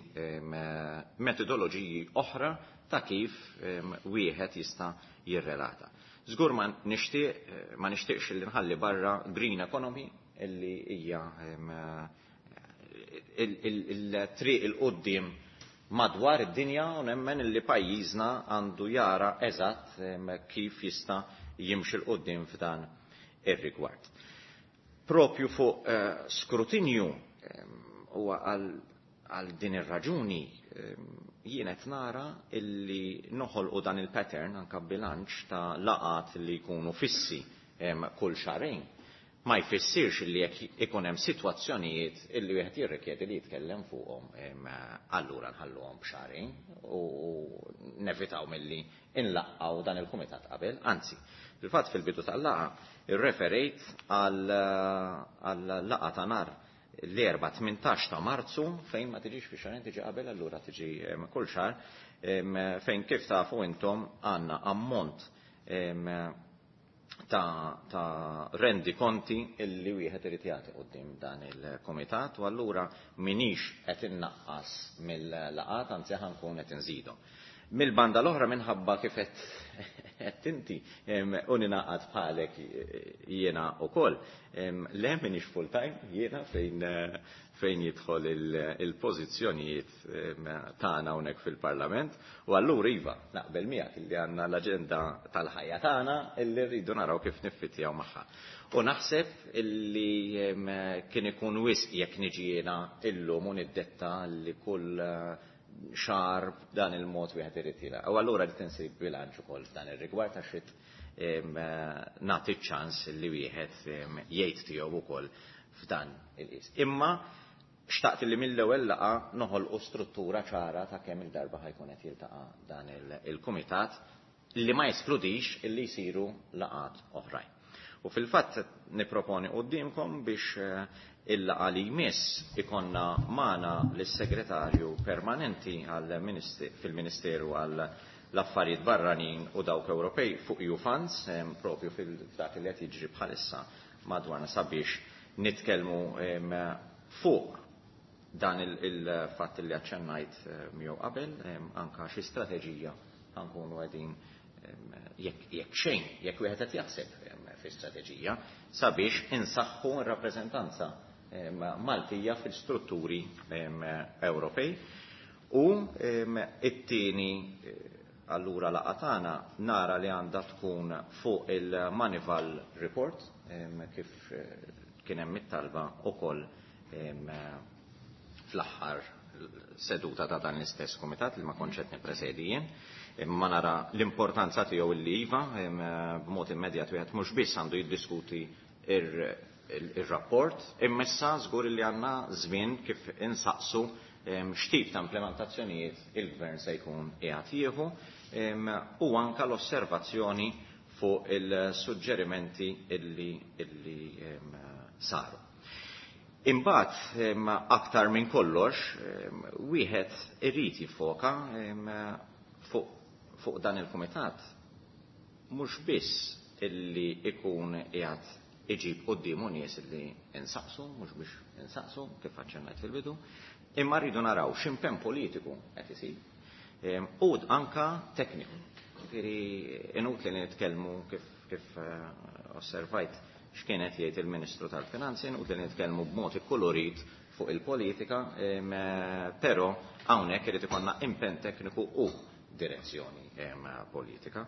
metodoloġiji oħra ta' kif wieħed jista' jirrelata. Żgur ma nixtieq ma nixtieqx li nħalli barra green economy illi hija il-triq il-qudiem madwar id-dinja u nemmen li pajjiżna għandu jara eżatt kif jista' jimxi l qudiem f'dan ir-rigward. Propju fuq skrutinju huwa għal din ir-raġuni jien qed nara illi noħolqu dan il-pattern anke bilanċ ta' laqat li jkunu fissi kull xahrejn. Ma jfissirx li jekk ikun hemm sitwazzjonijiet illi wieħed jirrikjedi li jitkellem fuqhom allura nħalluhom b'xahrejn u nevitaw milli inlaqgħu dan il-kumitat qabel. Anzi, fil-fatt fil-bidu tal-laqgħa irreferejt għal laqgħa ta' nhar l-erba' tmintax ta' Marzu fejn ma tiġix fi xahrejn tiġi qabel allura tiġi kull xahar fejn kif tafu intom għandna ammont ta', ta rendi konti illi wieħed irid jagħti quddiem dan il-kumitat u allura minix qed innaqqas mill-laqat anzi ħankun qed inżidhom. Mill-banda l-oħra minħabba kif qed inti u ninaqad bħalek jiena wkoll. Le minix full time jiena fejn fejn jidħol il-pożizzjonijiet tagħna hawnhekk fil-Parlament u allura iva naqbel miegħek illi għandna l-aġenda tal-ħajja tagħna illi rridu naraw kif niffittjaw magħha. U naħseb illi kien ikun wisq jekk niġi jiena illum u niddetta li kull xahar dan il-mod wieħed irid jilgħab. U allura rid insib bilanċ ukoll f'dan ir-rigward għax rid nagħti ċans li wieħed jgħid tiegħu wkoll f'dan il-qis. Imma xtaqt li mill-ewwel laqgħa noħolqu struttura ċara ta' kemm il-darba ħajkun qed jiltaqa' dan il-kumitat li ma jeskludix illi jsiru laqgħat oħrajn. U fil-fatt niproponi qudiemkom biex il-laqgħa li jmiss ikonna magħna lis-segretarju permanenti fil-Ministeru għal l-affarijiet barranin u dawk Ewropej fuq E U Funds, propju fil-dak li qed jiġri bħalissa madwarna sabiex nitkellmu fuq dan il-fatt li aċċennajt miegħu qabel, anka xi strateġija ħankunu qegħdin jekk xejn, jekk wieħed qed jaħseb fi strateġija sabiex insaħħu r-rappreżentanza Maltija fil-strutturi Ewropej. U it-tieni allura laqgħa tagħna nara li għandha tkun fuq il-Manival Report kif kien hemm it-talba wkoll fl-aħħar seduta ta' dan l-istess kumitat li ma kontx qed nippresedi jien. Imma nara l-importanza tiegħu illi iva b'mod immedjat wieħed mhux biss għandu jiddiskuti ir-rapport, imma issa żgur li għandna żmien kif insaqsu x'tip ta' implementazzjonijiet il-gvern se jkun qiegħed jieħu u anka l-osservazzjoni fuq il-suġġerimenti illi, illi saru. Imbagħad aktar minn kollox wieħed irid jiffoka fuq fuq dan il-kumitat mhux biss illi ikun qiegħed iġib quddiemu nies illi insaqsu, mhux biex insaqsu kif aċċennajt fil-bidu, imma rridu naraw x'impenn politiku qed isir u anka tekniku. Ġifieri inutli li nitkellmu kif kif osservajt x'kienet jgħid il-Ministru tal-Finanzi, inutli li nitkellmu b'mod ikkulurit fuq il-politika, però hawnhekk irid ikollna impenn tekniku u direzzjoni politika.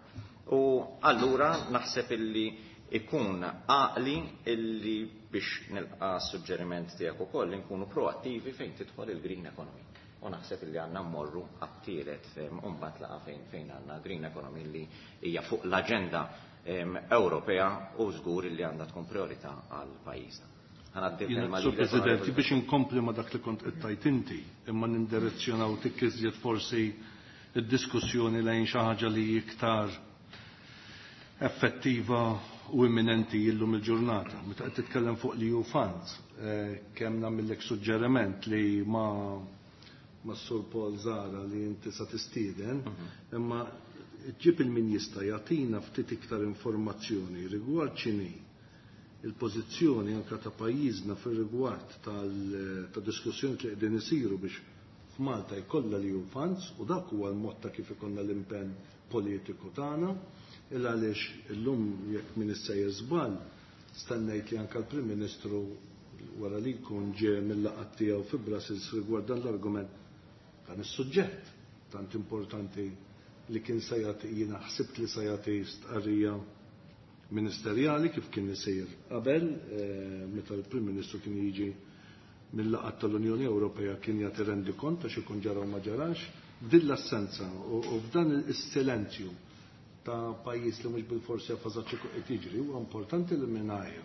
U allura naħseb illi ikun għaqli illi biex nilqa' suġġeriment tiegħek ukoll li nkunu proattivi fejn tidħol il-green economy. u naħseb li għandna mmorru għat-tielet u mbagħad laqgħa fejn fejn għandna Green Economy li hija fuq l-aġenda Ewropea u żgur li għandha tkun priorità għal pajjiżna. Sur President, biex inkompli ma dak li kont qed tgħid inti, imma nindirezzjonaw tik iżjed forsi id-diskussjoni lejn xi ħaġa li iktar effettiva u imminenti illum il-ġurnata. Meta qed titkellem fuq li E U funds, kemm nagħmellek suġġeriment li ma ma Sur Paul Zara li inti sa tistieden, imma ġib il-min jista' jagħtina ftit iktar informazzjoni rigward x'inhi il-pożizzjoni anka ta' pajjiżna fir-rigward tal-diskussjoni li qegħdin isiru biex f'Malta jkollha l E U funds, u dak huwa l-mod ta' kif ikollna l-impenn politiku tagħna, illa għaliex illum, jekk min issejjer żball, stennejt li anka l-Prim Ministru, wara li jkun ġie mill-laqgħat tiegħu fi Brussels rigward dan l-argument, dan is-suġġett tant importanti, li kien se jagħti, jiena ħsibt li se jagħti stqarrija ministerjali kif kien isir qabel, eh, meta l-Prim Ministru kien jiġi mill-laqgħat tal-Unjoni Ewropea, kien jagħti rendikont ta' xi jkun ġara u ma ġarax. F'din l-assenza u f'dan is-silenzju ta' pajjiż li mhux bil-forsi jaf eżatt xi qed jiġri, huwa importanti li mingħajr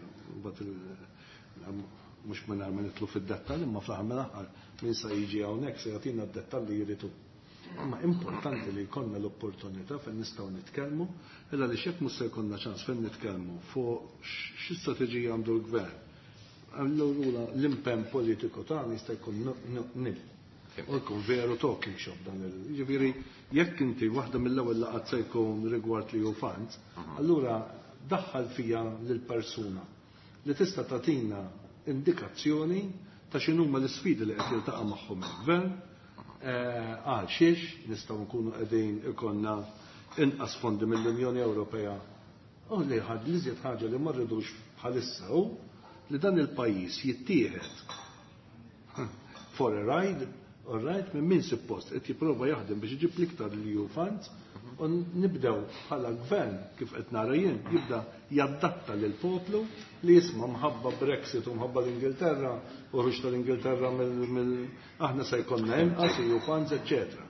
mhux mingħajr ma nidħlu fid-dettall, imma fl-aħħar mill-aħħar min sa jiġi hawnhekk se jagħtina d-dettalli jridu. Imma importanti li jkollna l-opportunità fejn nistgħu nitkellmu, illa li xek mhux se jkollna ċans fejn nitkellmu fuq xi strateġija għandu l-gvern. Allura l-impenn politiku tagħna jista' jkun nil. U jkun veru talking shop dan il. Ġifieri jekk inti waħda mill-ewwel laqgħat se jkun rigward li E U funds, allura daħħal fija lill-persuna li tista' tagħtina indikazzjoni ta' x'inhuma l-isfidi li qed jiltaqa' magħhom il-gvern, eh, għal xiex nistgħu nkunu qegħdin ikollna inqas fondi mill-Unjoni Ewropea. U li ħad li żjed ħaġa li ma rridux bħalissa hu li dan il-pajjiż jittieħed for a ride, all right, minn min suppost qed jipprova jaħdem biex iġib l-iktar li E U funds, u nibdew bħala gvern, kif qed nara jien, jibda jaddatta lil poplu li jisma' mħabba Brexit u mħabba l-Ingilterra u ħruġ tal-Ingilterra mill aħna se jkollna inqas E U funds, eċċetera.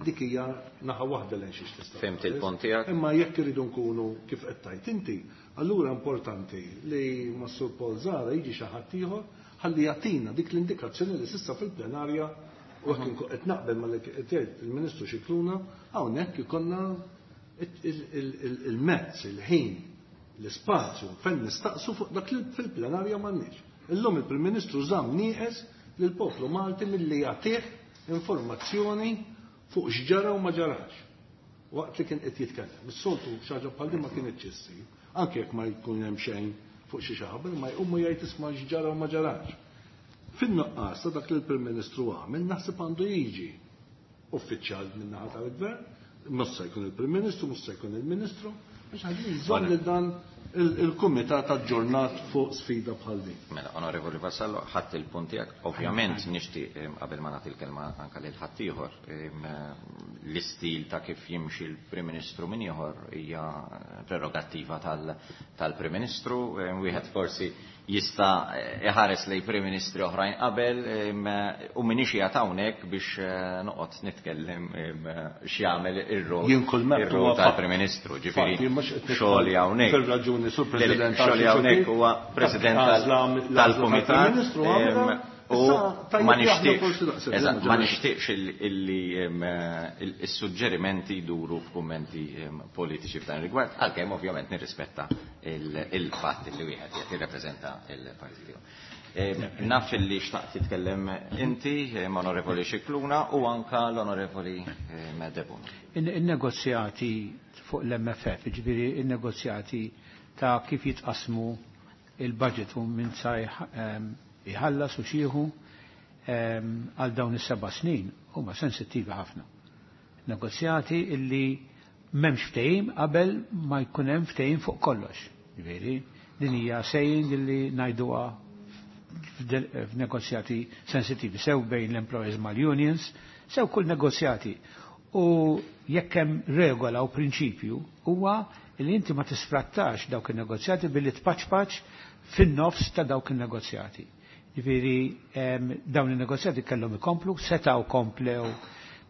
Dik hija naħa waħda lejn xiex tista' Fhimt il-punt tiegħek. Imma jekk iridu nkunu kif qed tgħid inti, allura importanti li ma' Sur Paul Zara jiġi xi ħadd ieħor ħalli jagħtina dik l-indikazzjoni li s'issa fil-plenarja, u jekk qed naqbel ma li qed jgħid il-Ministru Scicluna, hawnhekk ikollna il-mezz, il-ħin, l-ispazju fejn nistaqsu fuq dak li fil-plenarja m'għandniex. Illum il-Prim Ministru żamm nieqes lill-poplu Malti milli jagħtih informazzjoni fuq x'ġara u ma ġarax waqt li kien qed jitkellem. Is-soltu xi ħaġa bħal din ma kienx issir, anke jekk ma jkun hemm xejn fuq xi xaħba, ma jqumu jgħid, "Isma', x'ġara u ma ġarax." Fin-nuqqas ta' dak li l-Prim Ministru għamel, naħseb għandu jiġi uffiċjal min-naħa tal-Gvern, mhux se jkun il-Prim Ministru, mhux se jkun il-Ministru, biex ħalli jżomm lil dan il-kumitat aġġornat fuq sfida bħal din. Mela, Onorevoli Vassallo, ħadd il-punt tiegħek. Ovvjament nixtieq, qabel ma nagħti l-kelma anke lil ħaddieħor, l-istil ta' kif jimxi l-Prim Ministru min ieħor hija prerogattiva tal-Prim Ministru. Wieħed forsi jista' iħares lej Prim Ministri oħrajn qabel, u minix qiegħed hawnhekk biex eh, noqgħod nitkellem x'jagħmel ir-rol Jien kull meta ir-rol tal-Prim Ministru. Ġifieri xogħol hawnhekk. Fil-raġuni, Sur President, xogħol hawnhekk huwa President tal-Kumitat. U ma nixtieqx, ma nixtieqx illi il-suġġerimenti jduru f'kummenti politiċi f'dan rigward, għalkemm ovvjament nirrispetta il-fatt li wieħed qed jirrappreżenta il-partit tiegħu. Naf li xtaqt titkellem inti, Onorevoli Scicluna, u anka l-Onorevoli Debono. Il-negozjati fuq l-M F F, ġifieri il-negozjati ta' kif jitqasmu il-budget u minn sa jħallas u xieħu għal dawn is-seba' snin huma sensittivi ħafna. Negozjati illi m'hemmx ftehim qabel ma jkun hemm ftehim fuq kollox. Ġifieri, din hija saying illi ngħiduha f'negozjati sensittivi, sew bejn l-employees mal-unions, sew kull negozjati. U jekk hemm regola u prinċipju huwa li inti ma tisfrattax dawk in-negozjati billi tpaċpaċ fin-nofs ta' dawk in-negozjati. Ġifieri dawn in-negozjati kellhom ikomplu, setgħu komplew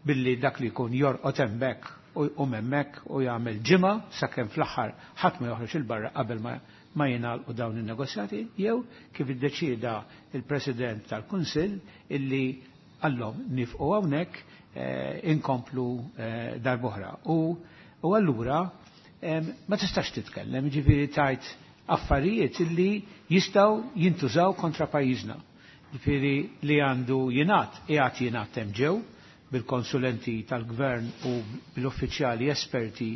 billi dak li jkun jorqod hemmhekk u hemmhekk u jagħmel ġimgħa sakemm fl-aħħar ħadd ma joħroġ il barra qabel ma ma jingħalqu dawn in-negozjati, jew kif iddeċieda il-President tal-Kunsill illi għallhom nifqu hawnhekk eh, inkomplu eh, darb'oħra. U, u allura ma tistax titkellem, ġifieri tajt affarijiet illi jistgħu jintużaw kontra pajjiżna. Ġifieri li għandu jingħad, qiegħed jingħad hemm ġew bil-konsulenti tal-gvern u bil-uffiċjali esperti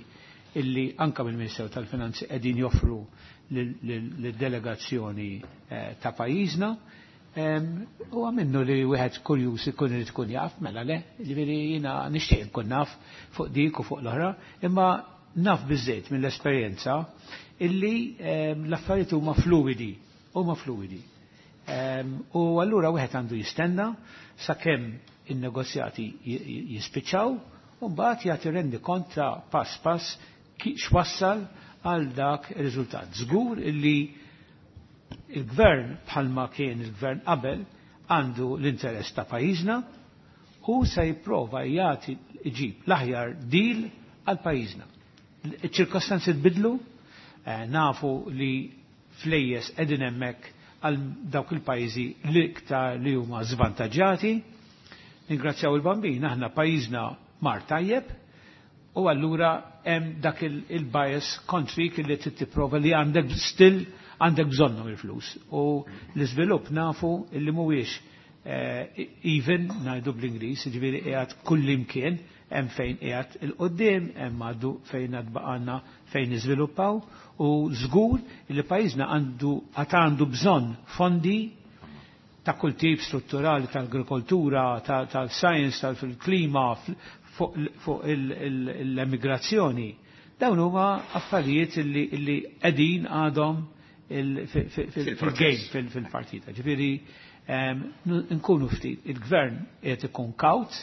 illi anka mill-Ministeru tal-Finanzi qegħdin joffru lid-delegazzjoni eh, ta' pajjiżna. U għamennu li wieħed kurjuż ikun irid ikun jaf, mela le, ġifieri jiena nixtieq nkun naf fuq dik u fuq l-oħra, imma naf biżejt mill-esperjenza illi l-affarijiet huma fluidi, huma fluidi. U allura wieħed għandu jistenna sakemm in-negozjati jispiċċaw u mbagħad jagħti rendi kont ta' pass pass x'wassal għal dak ir-riżultat. Żgur illi il-gvern bħalma kien il-gvern qabel għandu l-interess ta' pajjiżna u se jipprova jagħti iġib l-aħjar deal għal pajjiżna. Iċ-ċirkostanzi tbidlu, nafu li flejjes qegħdin hemmhekk għal dawk il-pajjiżi l-iktar li huma żvantaġġati. Ningrazzjaw il-Bambin, aħna pajjiżna mar tajjeb u allura hemm dak il-bias kontrik li trid tipprova li għandek still għandek bżonnhom il-flus. U l-iżvilupp nafu li mhuwiex even ngħidu bl-Ingliż, jiġifieri qiegħed kullimkien, hemm fejn qiegħed il-qudiem, hemm għadu fejn għad baqgħna fejn niżviluppaw u żgur li pajjiżna għandu għad għandu bżonn fondi ta' kull tip strutturali tal-agrikoltura, tal-science, tal-klima, fuq l-emigrazzjoni. Dawn huma affarijiet li qegħdin għadhom fil-game, fil-partita. Ġifieri nkunu ftit, il-gvern qed ikun kawt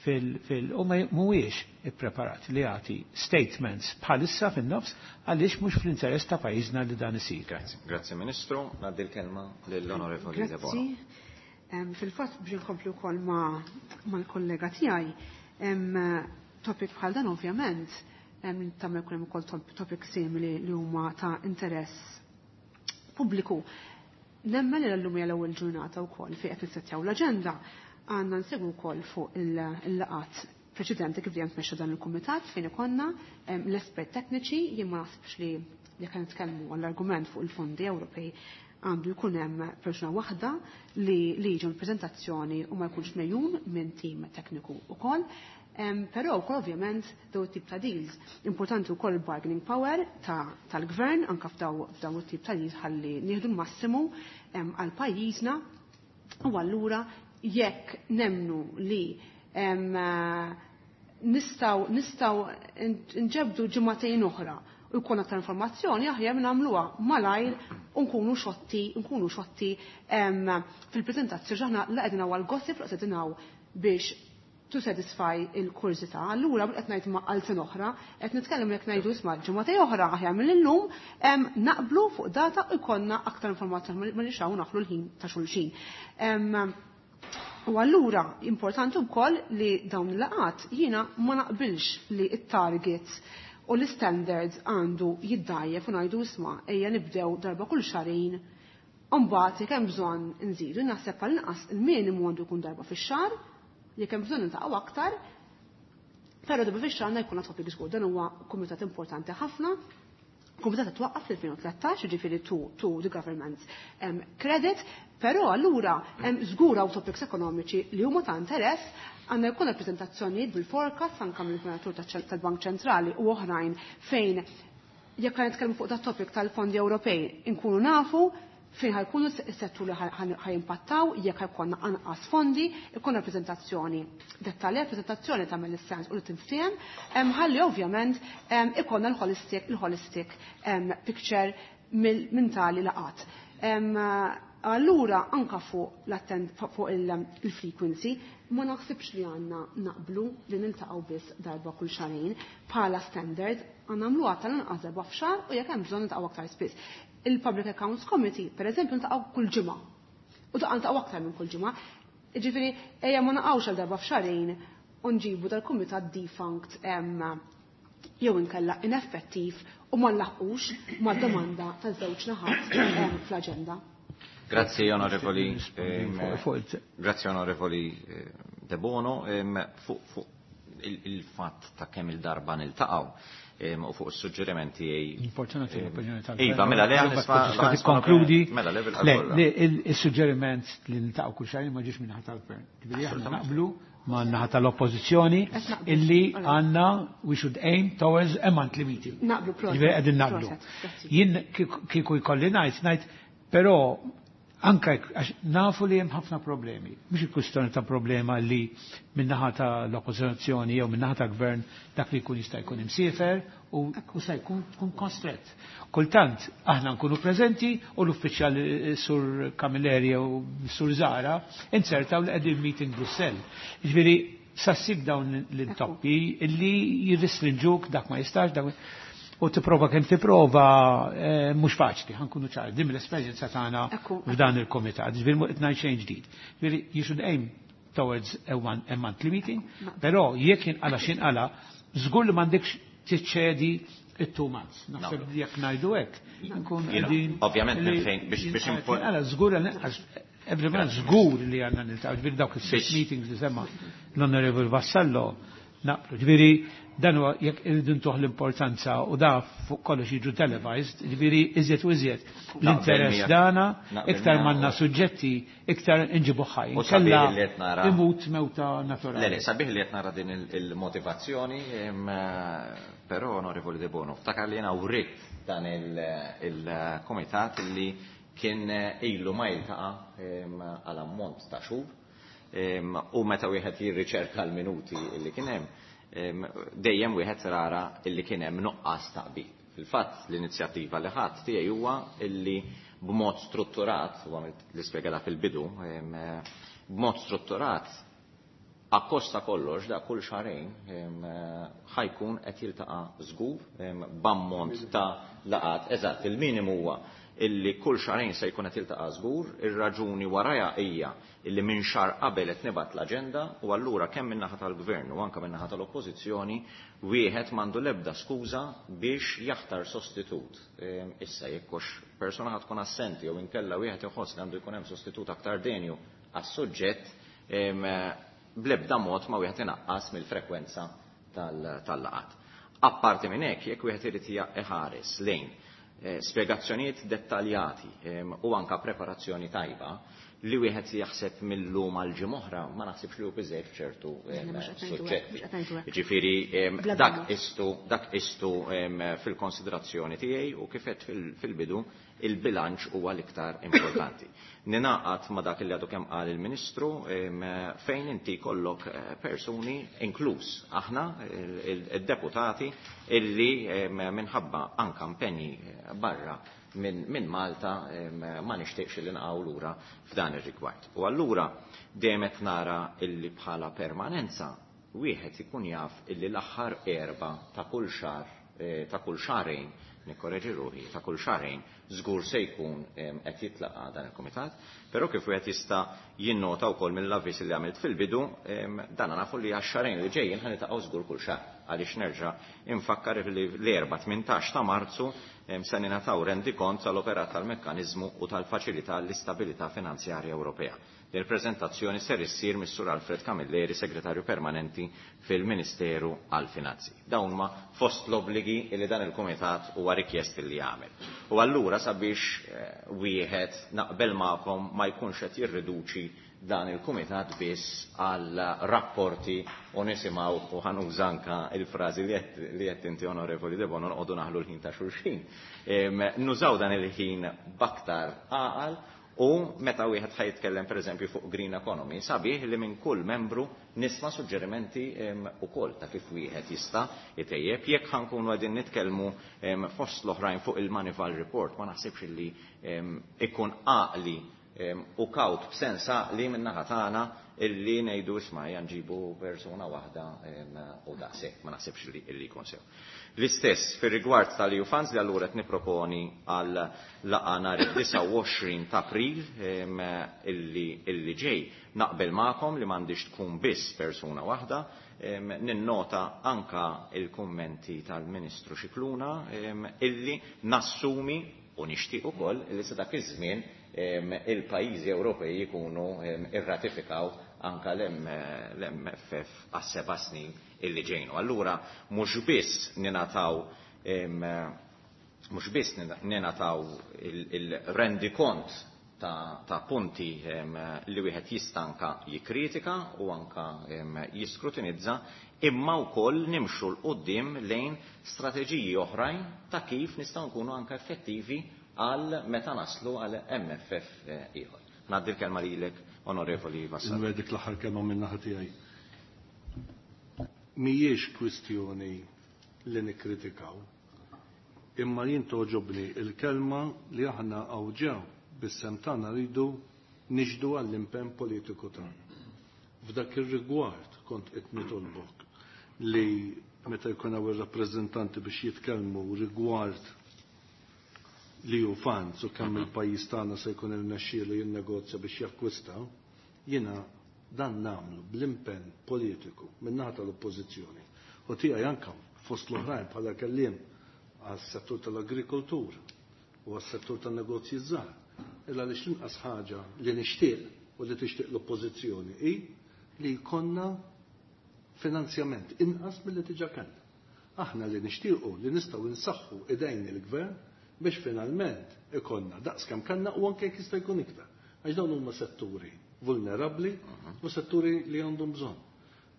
fil u mhuwiex ippreparat li jagħti statements bħalissa fin-nofs għaliex mhux fl-interess ta' pajjiżna li dan isir. Grazzi. Grazzi Ministru, ngħaddi l-kelma lill-Onorevoli Debono. Grazzi. Fil-fatt biex inkompli wkoll mal-kollega tiegħi, topic bħal dan ovvjament tagħmel kull hemm ukoll topic simili li huma ta' interess pubbliku. Nemmen li l-lum hija l-ewwel ġurnata wkoll fejn qed nissettjaw l-aġenda, għandna nsegwu wkoll fuq il-laqat preċedenti kif dejjem tmexxa dan il-kumitat fejn ikonna l-espert tekniċi. Jien ma naħsibx li jekk nitkellmu għall-argument fuq il-fondi Ewropej għandu jkun hemm persuna waħda li li jiġu l-preżentazzjoni u ma jkunx mejjun minn tim tekniku wkoll. Però wkoll ovvjament daw tip ta' deals. Importanti wkoll il-bargaining power tal-gvern anke f'daw it-tip ta' deals ħalli nieħdu l-massimu għal pajjiżna. U allura jekk nemnu li nistgħu nistgħu nġebdu ġimagħtejn oħra u jkun aktar informazzjoni, aħjar nagħmluha malajr u nkunu xotti, nkunu xotti fil-preżentazzjoni. Aħna la qegħdin hawn għall-gossip, la qegħdin hawn biex to satisfy il-kurżità. Allura qed ngħid ma' għal oħra, qed nitkellem jekk ngħidu isma' ġimgħatej oħra aħjar mill-illum naqblu fuq data u jkollna aktar informazzjoni ma nixaw naħlu l-ħin ta' xulxin. U allura importanti wkoll li dawn il-laqat jiena ma naqbilx li t-targets u l-standards għandu jiddajjef u ngħidu isma' ejja nibdew darba kull xahrejn. Mbagħad jekk hemm bżonn nżidu, naħseb għal inqas il-minimu għandu jkun darba fix-xahar, jekk hemm bżonn niltaqgħu aktar, però darba fix-xahar għandna jkun topic żgur. Dan huwa kumitat importanti ħafna. Kumitat twaqqaf fl-elfejn u tlettax, ġifieri to, to the government um, credit, però allura hemm żgur hawn topics ekonomiċi li huma ta' interess, għandna jkun rappreżentazzjonijiet bil-forecast anke mill-Gvernatur tal-Bank Ċentrali u oħrajn fejn jekk qed nitkellmu fuq dat topic tal-fondi Ewropej inkunu nafu fejn ħajkunu s-settur li ħajimpattaw, jekk ħajkonna anqas fondi, ikun rappreżentazzjoni dettaljata, rappreżentazzjoni tagħmel is-sens u li tinftiehem, ħalli ovvjament ikonna l-holistic, l-holistic picture minn tali laqat. Allura anka fuq l-attend fuq il-frequency ma naħsibx li għandna naqblu li niltaqgħu biss darba kull xahrejn bħala standard, għandna nagħmluha tal-inqas darba f'xahar u jekk hemm bżonn niltaqgħu aktar spiss. Il-Public Accounts Committee, per eżempju, niltaqgħu kull ġimgħa. U daqqa niltaqgħu aktar minn kull ġimgħa. Jiġifieri ejja ma naqgħux għal darba f'xahrejn u nġibu dal-kumitat defunct jew inkella ineffettiv u ma nlaħqux mad-domanda taż-żewġ naħat fl-aġenda. Grazzi onorevoli, grazzi onorevoli De Bono, fuq il-fatt ta' kemm il-darba niltaqgħu u fuq is-suġġerimenti. Importanti l-opinjoni tal Iva, mela le nisma' tikkonkludi. Mela le Le, il-suġġeriment li niltaqgħu kull xahar ma ġiex minn tal-gvern. Ġifieri aħna naqblu ma' naħa tal-oppożizzjoni illi għandna we should aim towards a monthly meeting. Naqblu, proset. Ġifieri qegħdin naqblu. Jien kieku jkolli ngħid, ngħid però anka għax nafu li hemm ħafna problemi. Mhux il-kwistjoni ta' problema li min-naħa ta' l-oppożizzjoni jew min-naħa ta' gvern dak li jkun jista' jkun imsiefer u se jkun tkun konstrett. Kultant aħna nkunu preżenti u l-uffiċjal Sur Camilleri jew Sur Zara insertaw li qegħdin meeting Brussell. Jiġifieri sa ssib dawn l-intoppi illi jirrestrinġuk dak ma jistax dak u tipprova kemm tipprova mhux faċli, ħa nkunu ċari, din l-esperjenza tagħna f'dan il-komitat, ġifieri mhu qed ngħid xejn ġdid. Ġifieri you should aim towards a one a monthly meeting, però jekk jinqala x'inqala, żgur li m'għandekx tiċċedi it-two months. Naħseb jekk ngħidu hekk, nkun qegħdin. Ovvjament minn fejn biex biex Inqala żgur every month żgur li għandna niltaqgħu, ġifieri dawk is-six meetings li semma l-Onorevole Vassallo naqblu. Ġifieri dan huwa jekk irridu ntuh l-importanza u da fuq kollox jiġu televised, ġifieri iżjed u iżjed l-interess dana, iktar m'għandna suġġetti, iktar inġibu ħaj. Kella imut mewta naturali. Le, le, sabiħ li qed nara din il-motivazzjoni, però onorevoli De Bono, ftakar li jiena writ dan il-komitat li kien ilu ma jiltaqa' għal ammont ta' xhur u meta wieħed jirriċerka l-minuti li kien hemm, dejjem wieħed rara illi kien hemm nuqqas ta' qbil. Fil-fatt l-inizjattiva li ħadd tiegħi huwa illi b'mod strutturat, u għamilt l-ispjega fil-bidu, b'mod strutturat akkosta kollox da kull xahrejn ħajkun qed jiltaqa' żgur b'ammont ta' laqat. Eżatt, il-minimu huwa illi kull xahrejn se jkun qed jiltaqa' żgur, ir-raġuni warajha hija illi minn xahar qabel qed nibgħat l-aġenda u allura kemm min-naħa tal-gvern u anke min-naħa tal-oppożizzjoni wieħed m'għandu l-ebda skuża biex jaħtar sostitut. Issa jekk hux persuna ħad tkun assenti jew inkella wieħed iħoss li għandu jkun hemm sostitut aktar denju għas-suġġett, bl-ebda mod ma wieħed inaqqas mill-frekwenza tal-laqat. Apparti minn hekk, jekk wieħed irid iħares lejn spjegazzjonijiet dettaljati u anka preparazzjoni tajba li wieħed jaħseb mill-lum għal ġimgħa oħra ma naħsibx li hu biżejjed f'ċertu suġġetti. Jiġifieri dak istu dak istu fil-konsiderazzjoni tiegħi u kif qed fil-bidu il-bilanċ huwa l-iktar importanti. Ninaqat ma dak li għadu kemm qal il-Ministru fejn inti kollok persuni inkluż aħna il-deputati illi minħabba anka impenji barra minn min Malta ma nixtieqx li nqgħu lura f'dan ir-rigward. U allura dejjem qed nara illi bħala permanenza wieħed ikun jaf illi l-aħħar erba ta' kull xahar ta' kull xahrejn, nikkoreġi ruħi, ta' kull xahrejn żgur se jkun qed jitlaqa' dan il-kumitat, però kif wieħed jista' jinnota wkoll mill-avviż li għamilt fil-bidu, dan nafu li għax-xahrejn li ġejjin ħa niltaqgħu żgur kull xahar. Għaliex nerġa' infakkar li l-erba' tmintax ta' Marzu se ningħataw rendikont tal-operat tal-mekkaniżmu u tal-faċilità l-istabilità finanzjarja Ewropea. Il-preżentazzjoni ser issir mis-Sur Alfred Camilleri, segretarju permanenti fil-Ministeru għall-Finanzi. Dawn ma fost l-obbligi li dan il-Kumitat huwa rikjest li jagħmel. U allura sabiex wieħed naqbel magħkom ma jkunx qed jirriduċi dan il-Kumitat biss għal rapporti u nisimgħu u ħanuża anka il-frażi li qed inti onorevoli De Bono noqogħdu naħlu l-ħin ta' xulxin. Nużaw dan il-ħin b'aktar għaqal u meta wieħed ħaj jitkellem pereżempju fuq Green Economy, sabiħ li minn kull membru nisma' suġġerimenti ukoll ta' kif wieħed jista' jtejjeb. Jekk ħankunu qegħdin nitkellmu fost l-oħrajn fuq il-Moneyval Report, ma naħsibx li ikun għaqli u kawt b'sens għaqli min-naħa tagħna illi ngħidu isma' ejja nġibu persuna waħda u daqshekk, ma naħsibx li illi jkun sew. L-istess fir-rigward tal-E U Funds li allura qed nipproponi għal laqgħa nhar id-disgħa u għoxrin ta' April illi, illi ġej. Naqbel magħkom li m'għandix tkun biss persuna waħda. Ninnota anka il-kummenti tal-Ministru Scicluna illi nassumi u nixtieq ukoll illi sa dak iż-żmien il-pajjiżi Ewropej jkunu irratifikaw anka l-M F F għas-seba' snin illi ġejnu. Allura mhux biss ninataw mhux biss ninataw il-rendikont ta', ta' punti li wieħed jista' anka jikkritika u anka jiskrutinizza, imma wkoll nimxu l quddiem lejn strateġiji oħrajn ta' kif nistgħu nkunu anka effettivi għal meta naslu għal M F F ieħor. Ngħaddi l-kelma lilek, Onorevoli Vassallo. Inwegħdek l-aħħar kelma minn naħa tiegħi. Mhijiex kwistjoni li nikkritikaw, imma jien toġobni il-kelma li aħna hawn bis-sem tagħna rridu nixdu għall-impenn politiku tagħna. F'dak ir-rigward kont qed nitolbok li meta jkun hawn ir-rappreżentanti biex jitkellmu rigward li hu funds u kemm il-pajjiż tagħna se jkun irnexxielu jinnegozja biex jakkwista, jiena dan nagħmlu bl-impenn politiku min-naħa tal-Oppożizzjoni. U tiegħi anke fost l-oħrajn bħala kelliem għas-settur tal-agrikoltura u għas-settur tan-negozji żgħar. Illa għaliex l-inqas ħaġa li nixtieq u li tixtieq l-Oppożizzjoni hi li jkollna finanzjament inqas milli diġà kellna. Aħna li nixtiequ li nistgħu nsaħħu idejn il-gvern biex finalment ikollna daqs kemm kellna u anke jekk jista' jkun iktar. Għax dawn huma setturi vulnerabbli u setturi li għandhom bżonn.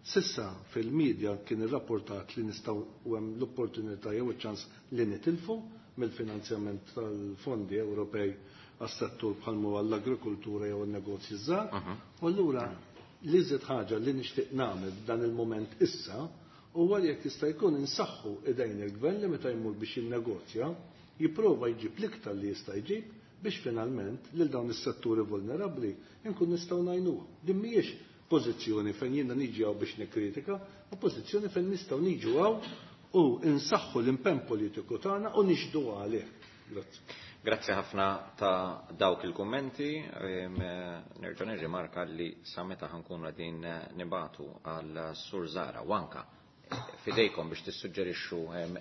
Sissa fil-medja kien irrapportat li nistgħu u hemm l-opportunità jew iċ-ċans li nitilfu mill-finanzjament tal-fondi Ewropej għas-settur bħalmu għall-agrikoltura jew n-negozji żgħar. U allura li żied ħaġa li nixtieq nagħmel f'dan il-mument issa huwa li jekk jista' jkun insaħħu idejn il-gvern li meta jmur biex jinnegozja jipprova jġib l-iktar li jista' jġib biex finalment lil dawn is-setturi vulnerabbli nkun nistgħu ngħinuhom. Din mhijiex pożizzjoni fejn jiena niġi hawn biex nikkritika, ma pożizzjoni fejn nistgħu niġu hawn u nsaħħu l-impenn politiku tagħna u nixdu għalih. Grazzi. Grazzi ħafna ta' dawk il-kummenti. Nerġa' nirrimarka li sa meta ħankunu qegħdin nibatu għal Sur Zahra u anka fidejkom biex tissuġġerixxu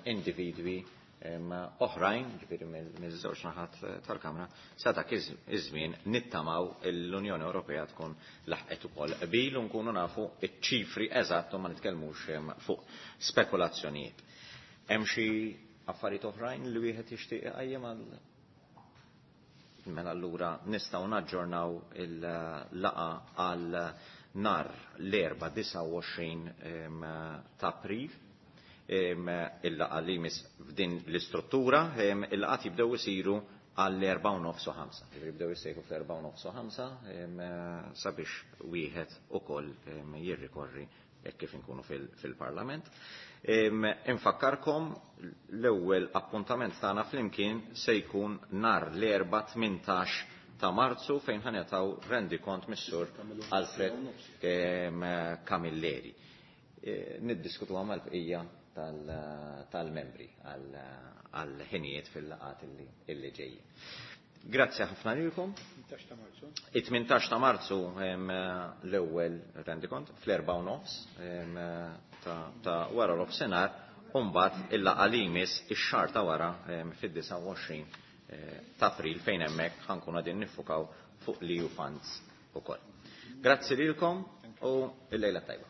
individwi oħrajn, ġifieri miż-żewġ naħat tal-Kamra, sa dak iż-żmien nittamaw l-Unjoni Ewropea tkun laħqet ukoll qbil u nkunu nafu ċ-ċifri eżatt u ma nitkellmux fuq spekulazzjonijiet. Hemm xi affarijiet oħrajn li wieħed jixtieq iqajjem għal mela allura nistgħu naġġornaw il-laqa għal nar l-erba' disgħa u għoxrin ta' April. Il-laqa li jmiss f'din l-istruttura, il-laqat jibdew isiru għall-erba' u nofs u ħamsa. Jiġifieri jibdew isejħu fl-erba' u nofs u ħamsa sabiex wieħed ukoll jirrikorri hekk kif inkunu fil-Parlament. Infakkarkom l-ewwel appuntament tagħna flimkien se jkun nhar l-erba' tmintax ta' Marzu fejn ħanetaw rendikont mis-Sur Alfred Camilleri. Niddiskutu għamal bqija tal-membri għal-ħinijiet fil-laqat illi ġejjin. Grazzi ħafna lilkom. It-tmintax ta' Marzu l-ewwel rendikont fl-erba' u nofs ta' wara l-offsenar, u mbagħad il-laqgħa li jmiss ix-xahar ta' wara fid-disgħa u għoxrin ta' April fejn hemmhekk ħankun qegħdin niffukaw fuq l-E U funds ukoll. Grazzi lilkom u l-lejla tajba.